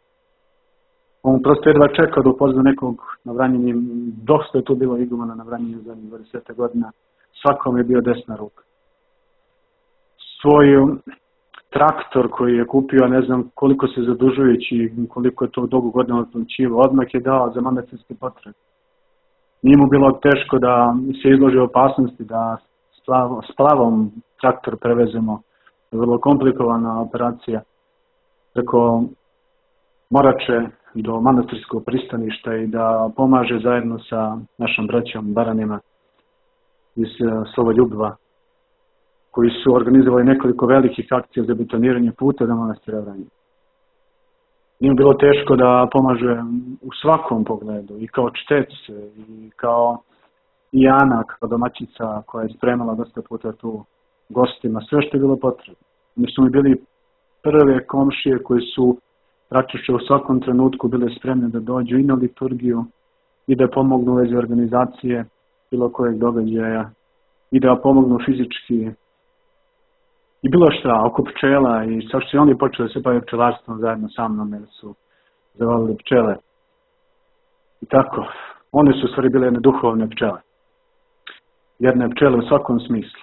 On prosto jedva čekao da upozna nekog na Vranjini, dosta je tu bilo igumana na Vranjini za dvadeset godina, svakom je bio desna ruka. Svoj traktor koji je kupio, ne znam koliko se zadužujući, koliko je to dugo godina otplaćivao, odmah je dao za manastirske potrebe. Nije mu bilo teško da se izloži opasnosti da s plavom traktor prevezemo. Vrlo komplikovana operacija preko Morače do manastirskog pristaništa i da pomaže zajedno sa našom braćom Baranima iz Slovoljubva, koji su organizovali nekoliko velikih akcija za betoniranje puta do manastira Vranje. Nije bilo teško da pomaže u svakom pogledu, i kao čtec, i kao i Ana, kao domaćica koja je spremala dosta puta tu gostima, sve što je bilo potrebno. Mi su mi bili prve komšije koji su praktično u svakom trenutku bile spremne da dođu i na liturgiju i da pomognu u vezi organizacije bilo kojeg događaja i da pomognu fizički i bilo šta, oko pčela i sa što su oni počeli da se baviti pčelarstvom zajedno sa mnom jer su zavolili pčele. I tako, one su u stvari bile jedne duhovne pčele. Jedne pčele u svakom smislu.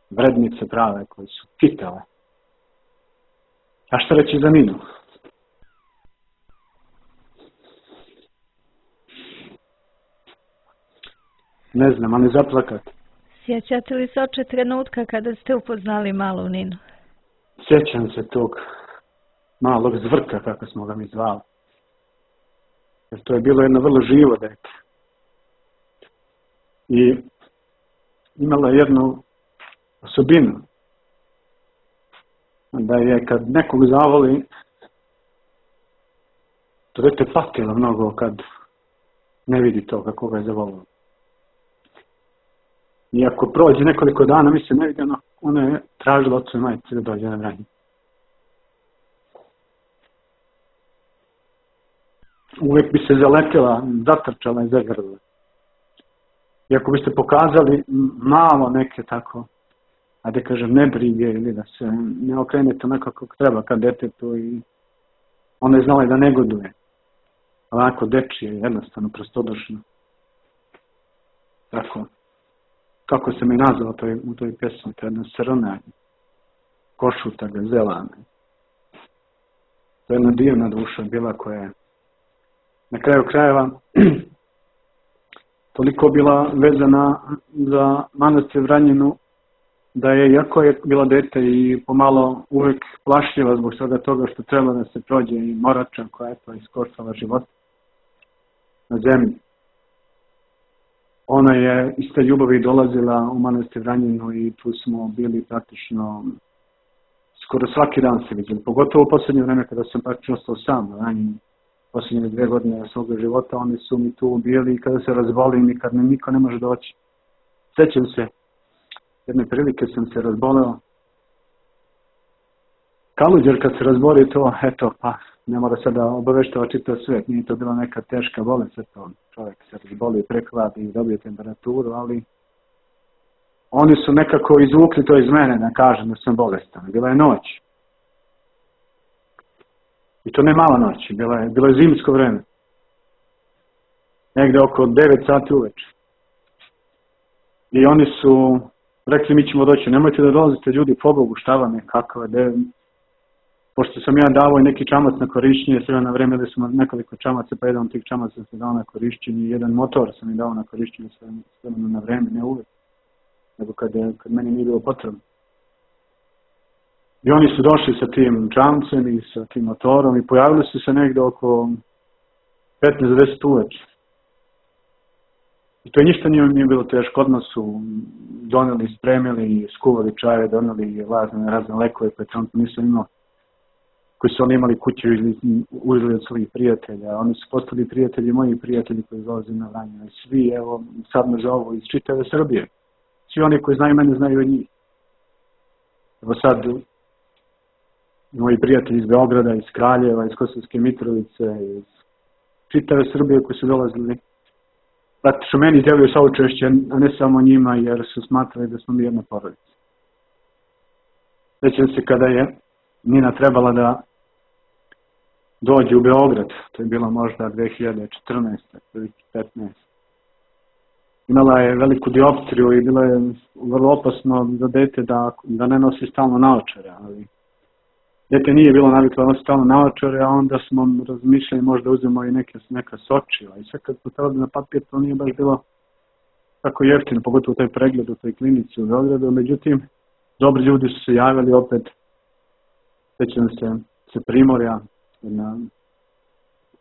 Vrednice prave koje su kitale. A šta reći za Ninu? Ne znam, ali zaplakati.
Sjećate li se oče trenutka kada ste upoznali malu Ninu?
Sjećam se tog malog zvrka, kako smo ga mi zvali. Jer to je bilo jedno vrlo živo dete. I imala jednu osobinu. Da je kad nekog zavoli, to dete patilo mnogo kad ne vidi to kako ga je zavolilo. I ako prođe nekoliko dana, mi se ne vidi, ono, ona je tražila ocu i majici da dođe na Vranje. Uvijek bi se zaletela, zatrčala i zagrla. I ako biste pokazali malo neke tako, a da kažem nebrige ili da se ne okrenete onako kako treba kad detetu i ona je znala i da negoduje. Onako dečije, jednostavno, prostodušno. Tako. Kako se mi nazvao toj, u toj pesmi, to je jedna srna, košuta gazelana. To je jedna divna duša bila koja je na kraju krajeva toliko bila vezana za manastir Vranjinu da je, iako je bila dete i pomalo uvek plašljiva zbog svega toga što treba da se prođe i Morača koja je to iskoštala život na zemlji. Ona je iz te ljubavi dolazila u manastir Vranjinu i tu smo bili praktično skoro svaki dan se vidjeli. Pogotovo u posljednje vreme kada sam praktično ostao sam na Vranjinu. Posljednje dvije godine svoga života oni su mi tu bili i kada se razbolim i kad mi niko ne može doći. Sjećam se, jedne prilike sam se razboleo. Kaluđer kad se razboli to, eto, pa ne mora sad da obaveštava čitav svijet. Nije to bila neka teška bolest, eto, čovjek se razboli, prehladi i dobije temperaturu, ali oni su nekako izvukli to iz mene da kažem da sam bolestan. Bila je noć. I to ne mala noć, bilo je, bilo je zimsko vreme. Negde oko devet sati uveče. I oni su rekli mi ćemo doći, nemojte da dolazite ljudi, pobogu, šta vam je, kakva je, pošto sam ja davao i neki čamac na korišćenje, sve na vreme da sam nekoliko čamaca, pa jedan od tih čamaca sam dao na korišćenje, jedan motor sam i dao na korišćenje sve na vreme, ne uvek, nego kad, kad meni nije bilo potrebno. I oni su došli sa tim čamcem i sa tim motorom i pojavili su se negdje oko petnaest do deset uveče. I to ništa nije, nije bilo teško, odmah su doneli, spremili, skuvali čaje, doneli razne, razne lekove koje trenutno nisam imao, koji su oni imali kuću ili uzeli od svojih prijatelja. Oni su postali prijatelji, moji prijatelji koji dolaze na Vranje. Svi, evo, sad me zovu iz čitave Srbije. Svi oni koji znaju mene, znaju od njih. Evo sad, moji prijatelji iz Beograda, iz Kraljeva, iz Kosovske Mitrovice, iz čitave Srbije koji su dolazili, praktično meni djeluju saučešće, a ne samo njima, jer su smatrali da smo mi jedna porodica. Sjećam se kada je Nina trebala da dođe u Beograd, to je bilo možda dve hiljade četrnaeste. dve hiljade petnaeste. Imala je veliku dioptriju i bilo je vrlo opasno za dete da, da ne nosi stalno naočare, ali dete nije bilo naviklo da nosi stalno naočare, a onda smo razmišljali možda uzmemo i neke, neka sočiva i sve kad smo trebali na papir, to nije baš bilo tako jeftino, pogotovo taj pregled u toj klinici u Beogradu, međutim, dobri ljudi su se javili opet, sjećam se, se Primorja, jedna,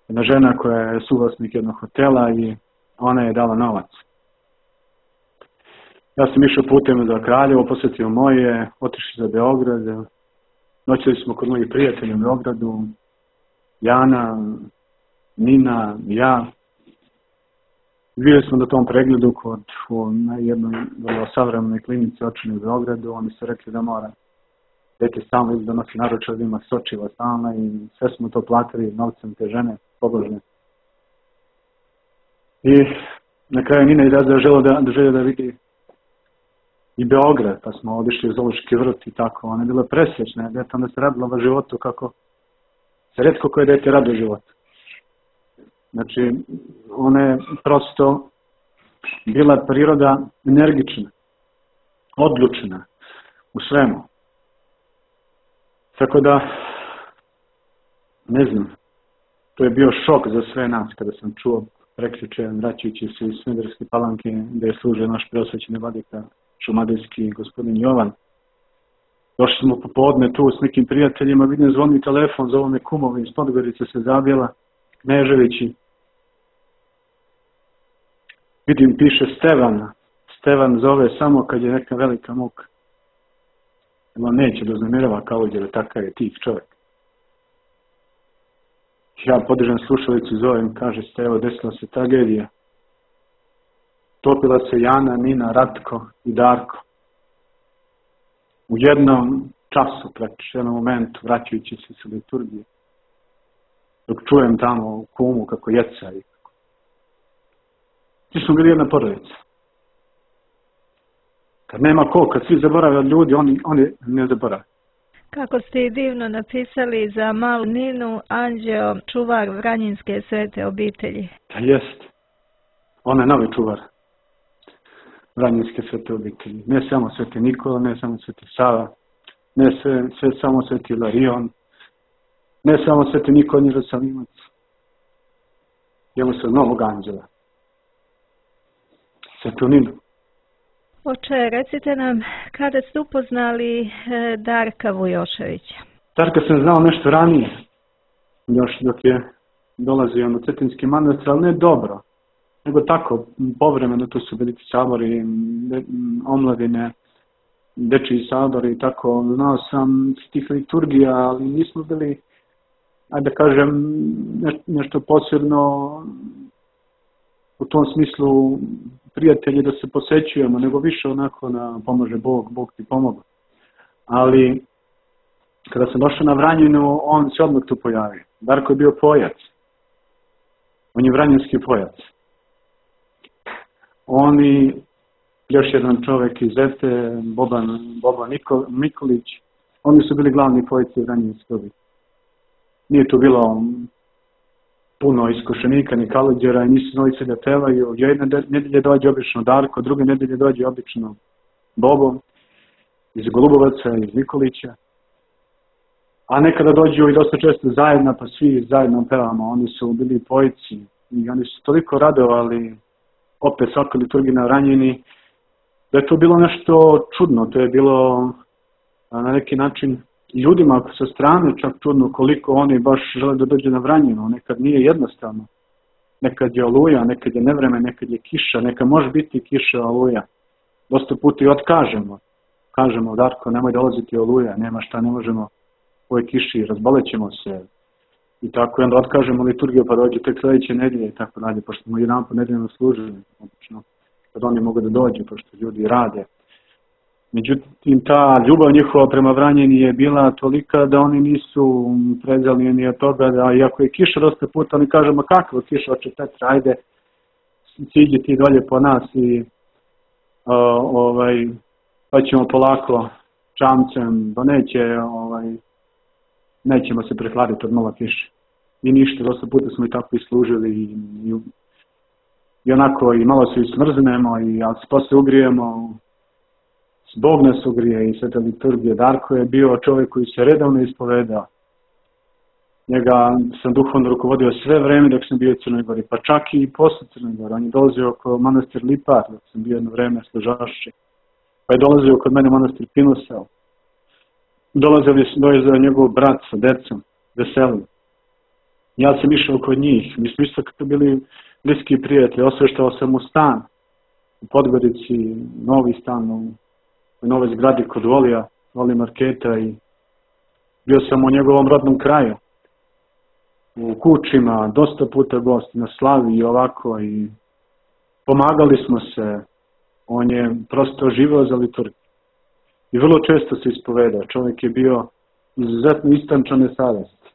jedna žena koja je suvlasnik jednog hotela i ona je dala novac. Ja sam išao putem za Kraljevo, posjetio moje, otišli za Beograd, noćili smo kod mojih prijatelja u Beogradu, Jana, Nina, ja. Bili smo na tom pregledu kod na jednoj vrlo savremenoj klinici očini u Beogradu, oni su rekli da mora dete stalno da nosi naručar, da ima sočiva stalna i sve smo to platili novcem te žene, pobožne. I na kraju Nina izrazila želja da, da želja da vidi i Beograd, pa smo odišli u Zoološki vrt i tako. Ona je bila presrećna, dete onda se radila o životu kako se retko koje dete radi o životu. Znači, ona je prosto bila priroda energična, odlučna u svemu. Tako da, ne znam, to je bio šok za sve nas kada sam čuo prekjuče, vraćajući se iz Smederevske Palanke, gdje je služio naš preosvećeni vladika šumadijski gospodin Jovan. Došli smo popodne tu s nekim prijateljima, vidim zvoni telefon, zove me kumovi iz Podgorice se Zabjela, Kneževići. Vidim, piše Stevan. Stevan zove samo kad je neka velika muka. On neće da uznamirava kao jer takav je tih čovjek. Ja podržam slušalicu, zovem, kaže ste, evo desila se tragedija. Topila se Jana, Nina, Ratko i Darko. U jednom času, praktično jednom momentu, vraćajući se sa liturgije. Dok čujem tamo u kumu kako jeca i kako. Ti smo bili jedna porodica. Kad nema ko, kad svi zaborave od ljudi, oni, oni ne zaborave.
Kako ste i divno napisali za malu Ninu, Anđeo, čuvar Vranjinske svete obitelji.
Da jest. Ona je novi čuvar Vranjinske svete obitelji. Ne samo sveti Nikola, ne samo sveti Sava, ne sve, sve samo sveti Ilarion, ne samo sveti Nikola Jerusalimac. Imamo se novog anđela. Svetu Ninu.
Oče, recite nam, kada ste upoznali Darka Vujoševića?
Darka sam znao nešto ranije, još dok je dolazio na Cetinski manastir, ali ne dobro, nego tako, povremeno, tu su veliki sabori, de, omladine, dečiji sabori i tako. Znao sam tih liturgija, ali nismo bili, ajde da kažem, nešto posebno u tom smislu prijatelji da se posećujemo, nego više onako na pomože Bog, Bog ti pomogu. Ali kada sam došao na Vranjinu, on se odmah tu pojavio. Darko je bio pojac. On je vranjinski pojac. On i još jedan čovjek iz Zete, Boban, Boban Nikol, Mikolić, oni su bili glavni pojci vranjinski obitelji. Nije tu bilo puno iskušenika ni kalođera i nisu znali se da pevaju. Jedne nedelje dođe obično Darko, druge nedelje dođe obično Bobo iz Golubovaca, iz Nikolića. A nekada dođu i dosta često zajedno, pa svi zajedno pevamo. Oni su bili pojici i oni su toliko radovali opet svakoj liturgiji na ranjeni, da je to bilo nešto čudno. To je bilo na neki način ljudima sa strane čak čudno koliko oni baš žele da dođe na Vranjeno. Nekad nije jednostavno. Nekad je oluja, nekad je nevreme, nekad je kiša, nekad može biti kiša, oluja. Dosta puta i otkažemo. Kažemo, Darko, nemoj dolaziti oluja, nema šta, ne možemo u ovoj kiši, razbolećemo se. I tako, i onda otkažemo liturgiju, pa dođe tek sljedeće nedelje i tako dalje, pošto smo jedan po nedeljno služili, obično, kad oni mogu da dođu, pošto ljudi rade. Međutim, ta ljubav njihova prema Vranjeni je bila tolika da oni nisu prezali ni od toga, da iako je kiša dosta puta, oni kažemo, kakva kiša, oče Petra, ajde, siđi ti dolje po nas i uh, ovaj, pa ćemo polako čamcem, da neće, ovaj, nećemo se prehladiti od malo kiše. I ništa, dosta puta smo i tako i služili i, i, i onako i malo se i smrznemo, i, ali se posle ugrijemo. Bog nas ugrije i sveta liturgija. Darko je bio čovjek koji se redovno ispovedao. Njega sam duhovno rukovodio sve vreme dok sam bio u Crnoj Gori, pa čak i posle Crnoj Gori. On je dolazio oko manastir Lipar dok sam bio jedno vreme služašći. Pa je dolazio kod mene manastir Pinosel. Dolazio je njegov brat sa decom, Veselin. Ja sam išao kod njih. Mi smo isto kako bili bliski prijatelji. Osveštao sam u stan u Podgorici, novi stan u u nove zgradi kod Volija, Voli Marketa, i bio sam u njegovom rodnom kraju, u Kučima, dosta puta gost, na slavi i ovako, i pomagali smo se. On je prosto živeo za liturgiju i vrlo često se ispovedao. Čovjek je bio izuzetno istančane savesti,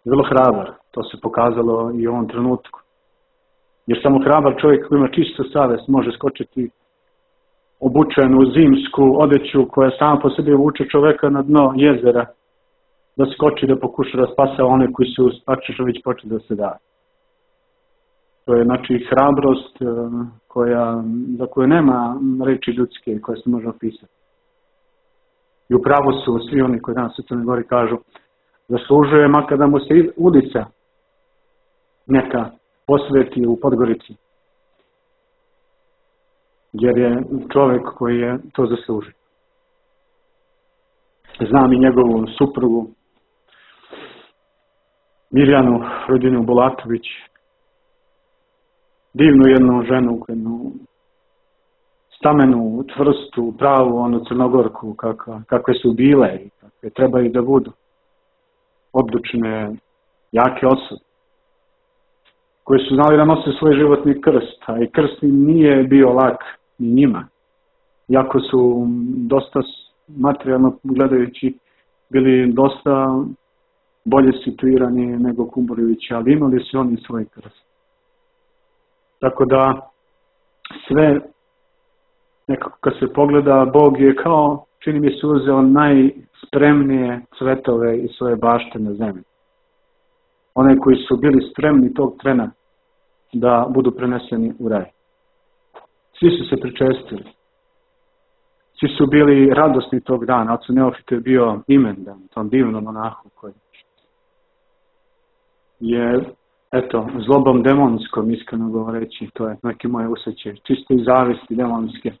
vrlo hrabar, to se pokazalo i u ovom trenutku. Jer samo hrabar čovjek koji ima čistu savest može skočiti obučen u zimsku odeću koja sama po sebi vuče čoveka na dno jezera, da skoči da pokuša da spasa one koji su praktično već počeli da se daju. To je znači hrabrost koja, za koju nema reči ljudske koje se može opisati. I upravo su svi oni koji danas u Crnoj Gori kažu zaslužuje makar da mu se ulica neka posveti u Podgorici. Jer je čovjek koji je to zaslužio. Znam i njegovu suprugu Mirjanu Rodinu Bulatović, divnu jednu ženu, jednu stamenu, tvrstu, pravu, onu Crnogorku, kakva, kakve su bile i kakve trebaju da budu. Odlučne, jake osobe, koji su znali da nose svoj životni krst, a i krst nije bio lak ni njima. Iako su dosta materijalno gledajući bili dosta bolje situirani nego Kumburivići, ali imali su oni svoj krst. Tako da sve, nekako kad se pogleda, Bog je kao, čini mi se, uzeo najspremnije cvetove i svoje bašte na zemlji. One koji su bili spremni tog trena da budu preneseni u raj. Svi su se pričestili. Svi su bili radosni tog dana. Ocu Neofitu je bio imendan, tom divnom monahu koji je, eto, zlobom demonskom, iskreno govoreći, to je neke moje usjećaje, čisto iz zavisti demonske,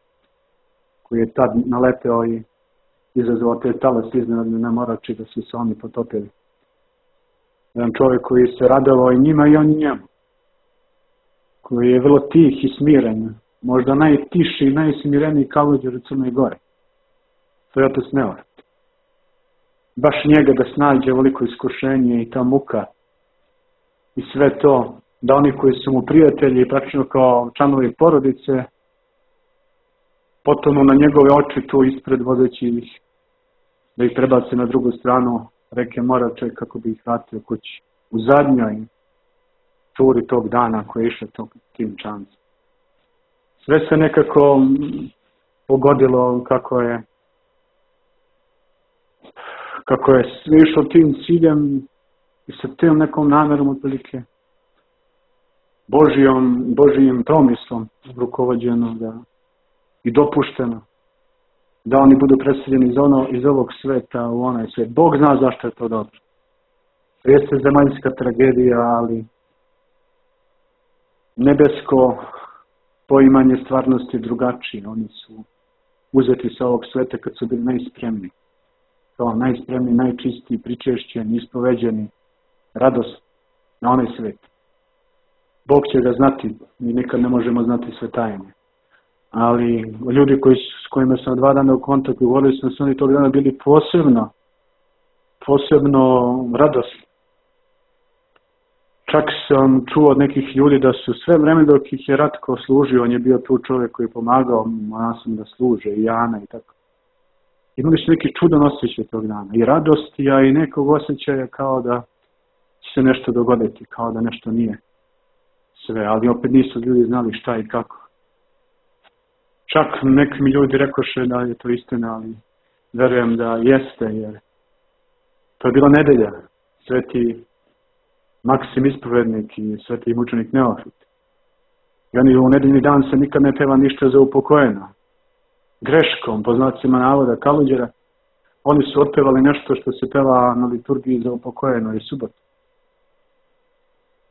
koji je tad naleteo i izazvao te talas iznenadne nemorači da su se oni potopili. Jedan čovjek koji se radovao i njima i oni njemu, koji je vrlo tih i smiren, možda najtiši i najsmireniji kaluđer u Crnoj Gori. To je otac Neofit. Baš njega da snađe veliko iskušenje i ta muka i sve to, da oni koji su mu prijatelji, praktično kao članovi porodice, potonu na njegove oči tu ispred vodeći ih, da ih prebace na drugu stranu reke Morače kako bi ih vratio kući. U zadnjoj turi tog dana koji je išao tog, tim čancem. Sve se nekako pogodilo kako je kako je sve išlo tim ciljem i sa tim nekom namjerom otprilike Božijom, Božijim promislom rukovođeno da, i dopušteno da oni budu preseljeni iz, ono, iz ovog sveta u onaj svijet. Bog zna zašto je to dobro. To jeste zemaljska tragedija, ali nebesko poimanje stvarnosti je drugačije. Oni su uzeti sa ovog sveta kad su bili najspremni. Kao najspremni, najčistiji, pričešćeni, ispoveđeni, radost na onaj svijet. Bog će ga znati, mi nikad ne možemo znati sve tajne. Ali ljudi koji, s kojima sam dva dana u kontaktu, govorili su da su oni tog dana bili posebno, posebno radosni. Čak sam čuo od nekih ljudi da su sve vreme dok ih je Ratko služio, on je bio tu čovjek koji je pomagao monasima da služe, i Jana i tako. Imali su neki čudan osjećaj tog dana, i radosti, a i nekog osjećaja kao da će se nešto dogoditi, kao da nešto nije sve, ali opet nisu ljudi znali šta i kako. Čak neki mi ljudi rekoše da je to istina, ali verujem da jeste, jer to je bila nedelja, sveti Maksim ispovednik i sveti mučenik Neofit. I oni u nedeljni dan se nikad ne peva ništa za upokojeno. Greškom, po znacima navoda Kaluđera, oni su otpevali nešto što se peva na liturgiji za upokojeno i subotu.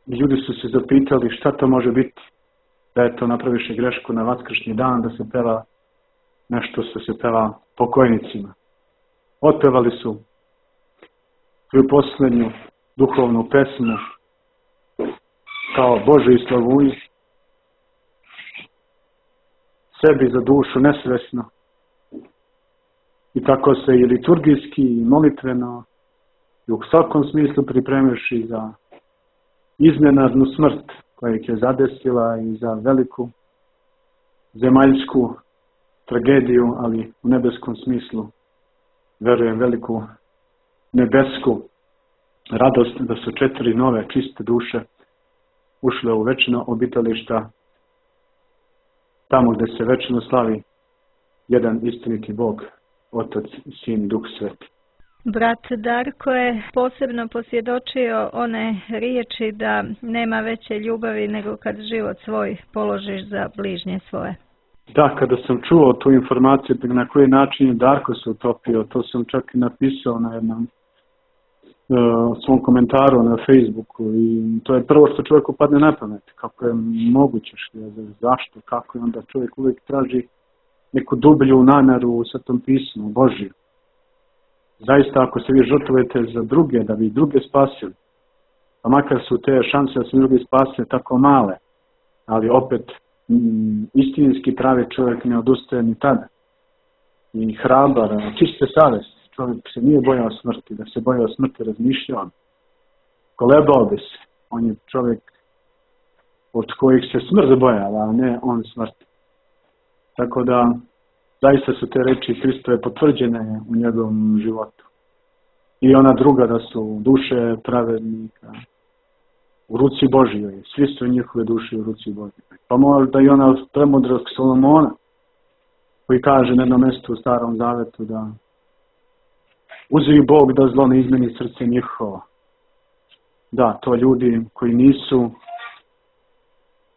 I ljudi su se zapitali šta to može biti, da je to napraviše grešku na vaskršnji dan, da se peva nešto što se peva pokojnicima. Otpevali su svoju posljednju duhovnu pesmu kao Bože i slavuj, sebi za dušu nesvesno. I tako se i liturgijski i molitveno i u svakom smislu pripremiši za iznenadnu smrt koja ih je zadesila i za veliku zemaljsku tragediju, ali u nebeskom smislu verujem veliku nebesku radost da su četiri nove čiste duše ušle u večno obitališta, tamo gdje se večno slavi jedan istiniti Bog, Otac, Sin i Duh Sveti.
Brat Darko je posebno posvjedočio one riječi da nema veće ljubavi nego kad život svoj položiš za bližnje svoje.
Da, kada sam čuo tu informaciju na koji način je Darko se utopio, to sam čak i napisao na jednom uh, svom komentaru na Facebooku, i to je prvo što čovjeku padne na pamet, kako je moguće, zašto, kako je, onda čovjek uvijek traži neku dublju namjeru u Svetom pismu, Božju. Zaista, ako se vi žrtvujete za druge, da bi druge spasili, pa makar su te šanse da se drugi spasili tako male, ali opet m, istinski pravi čovjek ne odustaje ni tada. I hrabar, čiste savjesti, čovjek se nije bojao smrti, da se bojao smrti razmišljao. Kolebao bi se, on je čovjek od kojih se smrt bojala, a ne on smrti. Tako da, zaista su te reči Hristove potvrđene u njegovom životu. I ona druga, da su duše pravednika u ruci Božjoj. Svi su njihove duše u ruci Božjoj. Pa možda i ona premudrog Solomona, koji kaže na jednom mjestu u Starom Zavetu da uzvi Bog da zlo ne izmeni srce njihovo. Da, to ljudi koji nisu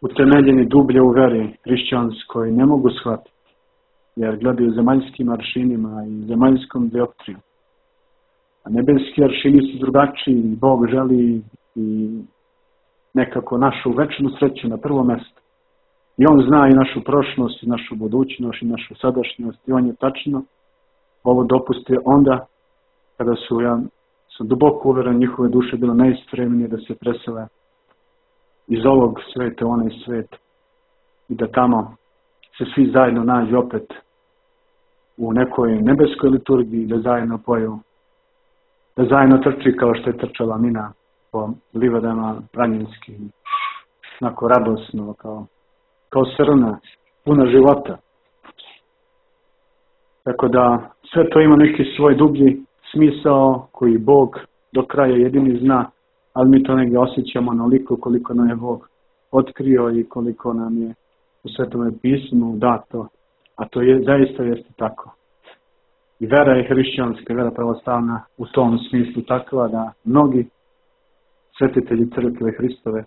utemeljeni dublje u veri hrišćanskoj ne mogu shvatiti, jer gledaju zemaljskim aršinima i zemaljskom dioptrijom. A nebeski aršini su drugačiji, Bog želi i nekako našu večnu sreću na prvo mjesto. I on zna i našu prošlost, i našu budućnost, i našu sadašnjost, i on je tačno ovo dopustio onda kada su, ja sam duboko uvjeren, njihove duše bilo najspremnije da se presele iz ovog sveta u onaj svet i da tamo se svi zajedno nađu opet u nekoj nebeskoj liturgiji, da zajedno poju, da zajedno trči kao što je trčala Mina po livadama planinskih, onako radosno, kao, kao srna, puna života. Tako da sve to ima neki svoj dublji smisao koji Bog do kraja jedini zna, ali mi to negdje osjećamo onoliko koliko nam je Bog otkrio i koliko nam je u Svetome pismu dato, a to je, zaista jeste tako. I vera je hrišćanska, vera pravoslavna u tom smislu takva da mnogi svetitelji crkve Hristove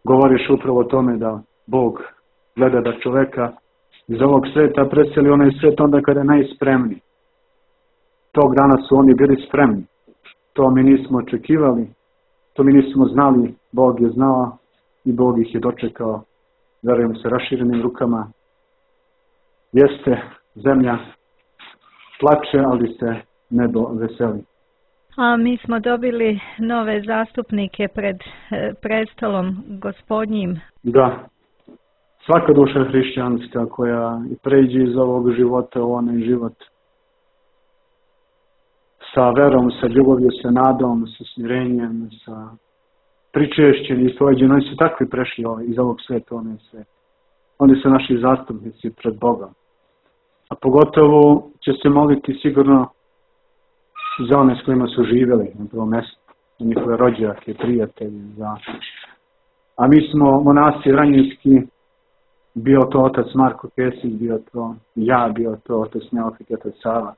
govoriš upravo o tome da Bog gleda da čoveka iz ovog sveta preseli onaj svet onda kada je najspremniji. Tog dana su oni bili spremni. To mi nismo očekivali, to mi nismo znali, Bog je znao i Bog ih je dočekao, verujem, sa raširenim rukama. Jeste, zemlja plače, ali se nebo veseli.
A mi smo dobili nove zastupnike pred e, prestolom Gospodnjim.
Da, svaka duša hrišćanska koja pređe iz ovog života u onaj život sa verom, sa ljubavlju, sa nadom, sa smirenjem, sa pričešćem i ispoveđenjem, oni su takvi prešli iz ovog sveta u onaj svet. Oni su naši zastupnici pred Bogom. A pogotovo će se moliti sigurno za one s kojima su živjeli na prvom mjestu, za njihove rođake, prijatelje. Za... A mi smo monasi Vranjinski, bio to otac Marko Kesić, bio to ja, bio to otac Neofit, otac Sava.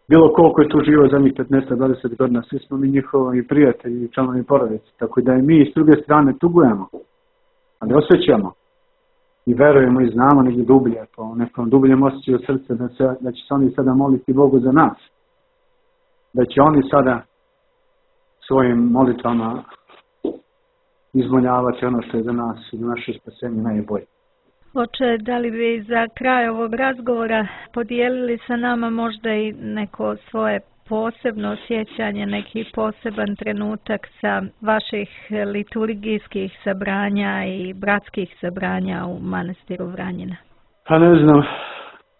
Bilo koliko je tu živo zadnjih petnaest do dvadeset godina, svi smo mi njihovi prijatelji i članovi porodice. Tako da i mi s druge strane tugujemo, ali osjećamo i verujemo i znamo negdje dublje, po nekom dubljem osjećaju srce da, se, da će se oni sada moliti Bogu za nas. Da će oni sada svojim molitvama izmoljavati ono što je za nas i za naše spasenje najbolje.
Oče, da li bi za kraj ovog razgovora podijelili sa nama možda i neko svoje posebno sjećanje, neki poseban trenutak sa vaših liturgijskih sabranja i bratskih sabranja u manastiru Vranjina?
Pa ne znam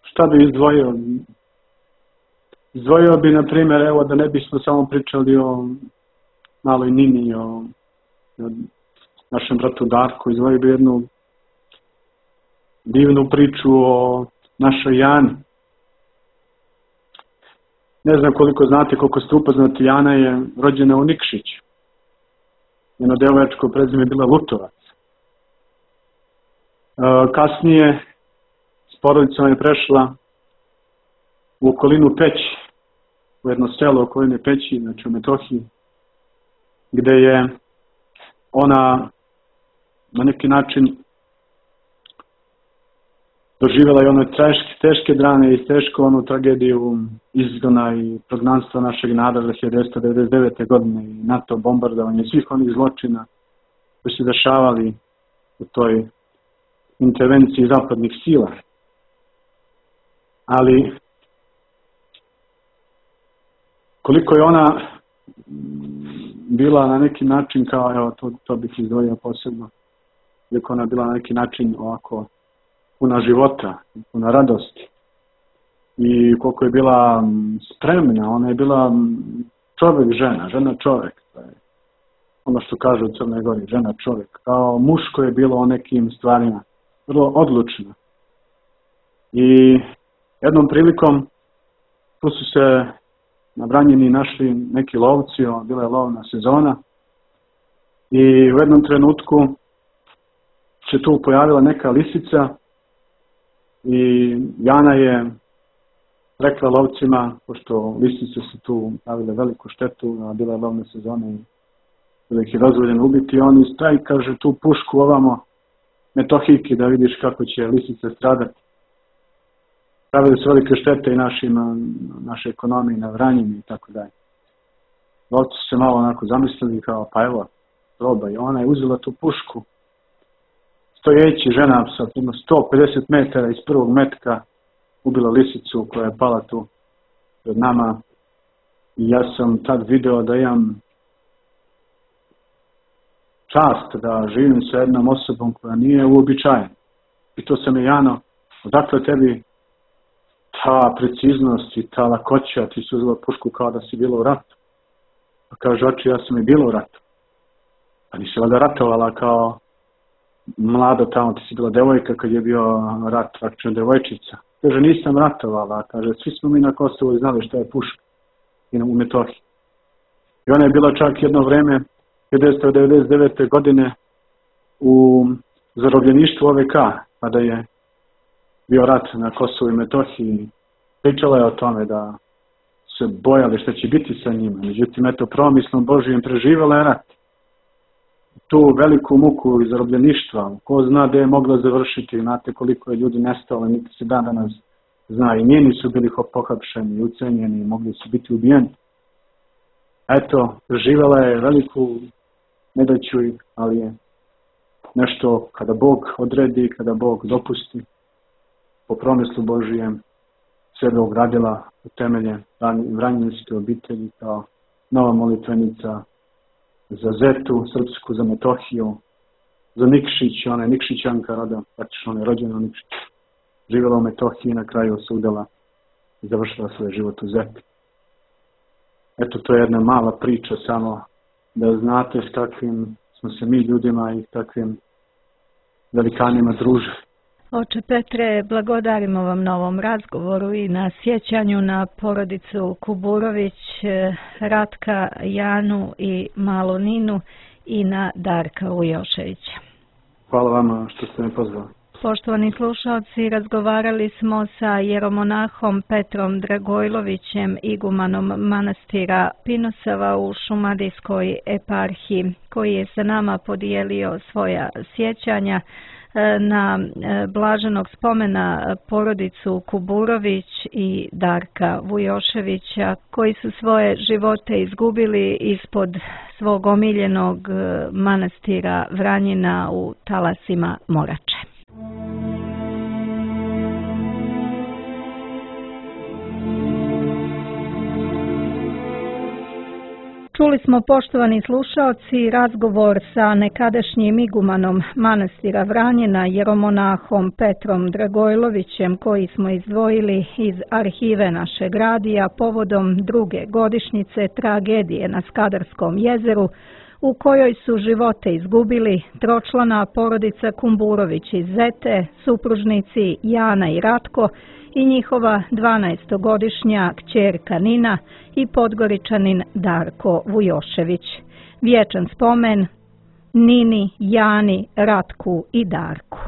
šta bi izdvojio. Izdvojio bi, na primjer, evo da ne bismo samo pričali o maloj Nini, o, o našem bratu Darku, izdvojio bi jednu divnu priču o našoj Jani. Ne znam koliko znate, koliko ste upoznati, Jana je rođena u Nikšiću. Njeno devojačko prezime je bila Lutovac. E, kasnije s porodicom je prešla u okolinu Peći, u jedno selo okoline Peći, znači u Metohiji, gde je ona na neki način doživjela i one teške, teške drane i tešku onu tragediju izgona i prognanstva našeg naroda hiljadu devetsto devedeset devete. godine i NATO bombardovanje svih onih zločina koji su dešavali u toj intervenciji zapadnih sila. Ali koliko je ona bila na neki način kao, evo to, to bih izdvojio posebno, koliko ona bila na neki način ovako puna života, puna radosti i koliko je bila spremna, ona je bila čovjek žena, žena čovjek, ono što kažu u Crnoj Gori, žena čovjek, kao muško je bilo o nekim stvarima, vrlo odlučno. I jednom prilikom tu su se na Vranjini našli neki lovci, bila je lovna sezona i u jednom trenutku se tu pojavila neka lisica i Jana je rekla lovcima, pošto lisice su tu pravile veliku štetu, a bila je lovna sezona i bila ih je dozvoljeno ubiti, oni stavi, kaže, tu pušku ovamo Metohijki da vidiš kako će lisice stradati. Pravili su velike štete i našim, naše ekonomije na Vranjini i tako dalje. Lovci su se malo onako zamislili kao, pa evo, proba, i ona je uzela tu pušku, stojeći žena sa sto pedeset metara iz prvog metka ubila lisicu koja je pala tu pred nama i ja sam tad video da imam čast da živim sa jednom osobom koja nije uobičajena. I to sam je, Jano, odakle tebi ta preciznost i ta lakoća, ti su uzela pušku kao da si bila u ratu. Pa kaže, oči, ja sam i bila u ratu. A nisi valjda ratovala kao mlada tamo, ti si bila devojka kad je bio rat, praktično devojčica. Kaže, nisam ratovala, kaže, svi smo mi na Kosovu znali šta je puška i u Metohiji. I ona je bila čak jedno vreme, hiljadu devetsto devedeset devete. godine, u zarobljeništvu O V K, kada je bio rat na Kosovu i Metohiji. Pričala je o tome da se bojali šta će biti sa njima. Međutim, eto, promislom Božijem preživjela je rat. tu veliku muku zarobljeništva, ko zna gde je moglo završiti, znate koliko je ljudi nestalo, niti se dan danas zna, i njeni su bili pohapšeni, ucenjeni, mogli su biti ubijeni. Eto, živjela je veliku nedaću, ali je nešto kada Bog odredi, kada Bog dopusti, po promislu Božijem, sebe ugradila u temelje Vranjinske obitelji kao nova molitvenica za Zetu, Srpsku, za Metohiju, za Nikšić, ona je Nikšićanka roda, praktično ona je rođena u Nikšiću. Živjela u Metohiji i na kraju se udala i završila svoj život u Zeti. Eto, to je jedna mala priča samo da znate s kakvim smo se mi ljudima i takvim velikanima družili.
Oče Petre, blagodarimo vam na ovom razgovoru i na sjećanju na porodicu Kuburović, Ratka, Janu i malu Ninu i na Darka Vujoševića.
Hvala vama što ste me pozvali.
Poštovani slušalci, razgovarali smo sa jeromonahom Petrom Dragojlovićem, igumanom manastira Pinosava u Šumadijskoj eparhiji, koji je sa nama podijelio svoja sjećanja na blaženog spomena porodicu Kuburović i Darka Vujoševića, koji su svoje živote izgubili ispod svog omiljenog manastira Vranjina u talasima Morače. Čuli smo, poštovani slušaoci, razgovor sa nekadašnjim igumanom manastira Vranjina, jeromonahom Petrom Dragojlovićem, koji smo izdvojili iz arhive našeg radija povodom druge godišnjice tragedije na Skadarskom jezeru, u kojoj su živote izgubili tročlana porodica Kumburović iz Zete, supružnici Jana i Ratko i njihova dvanaestogodišnja kćerka Nina i Podgoričanin Darko Vujošević. Vječan spomen Nini, Jani, Ratku i Darku.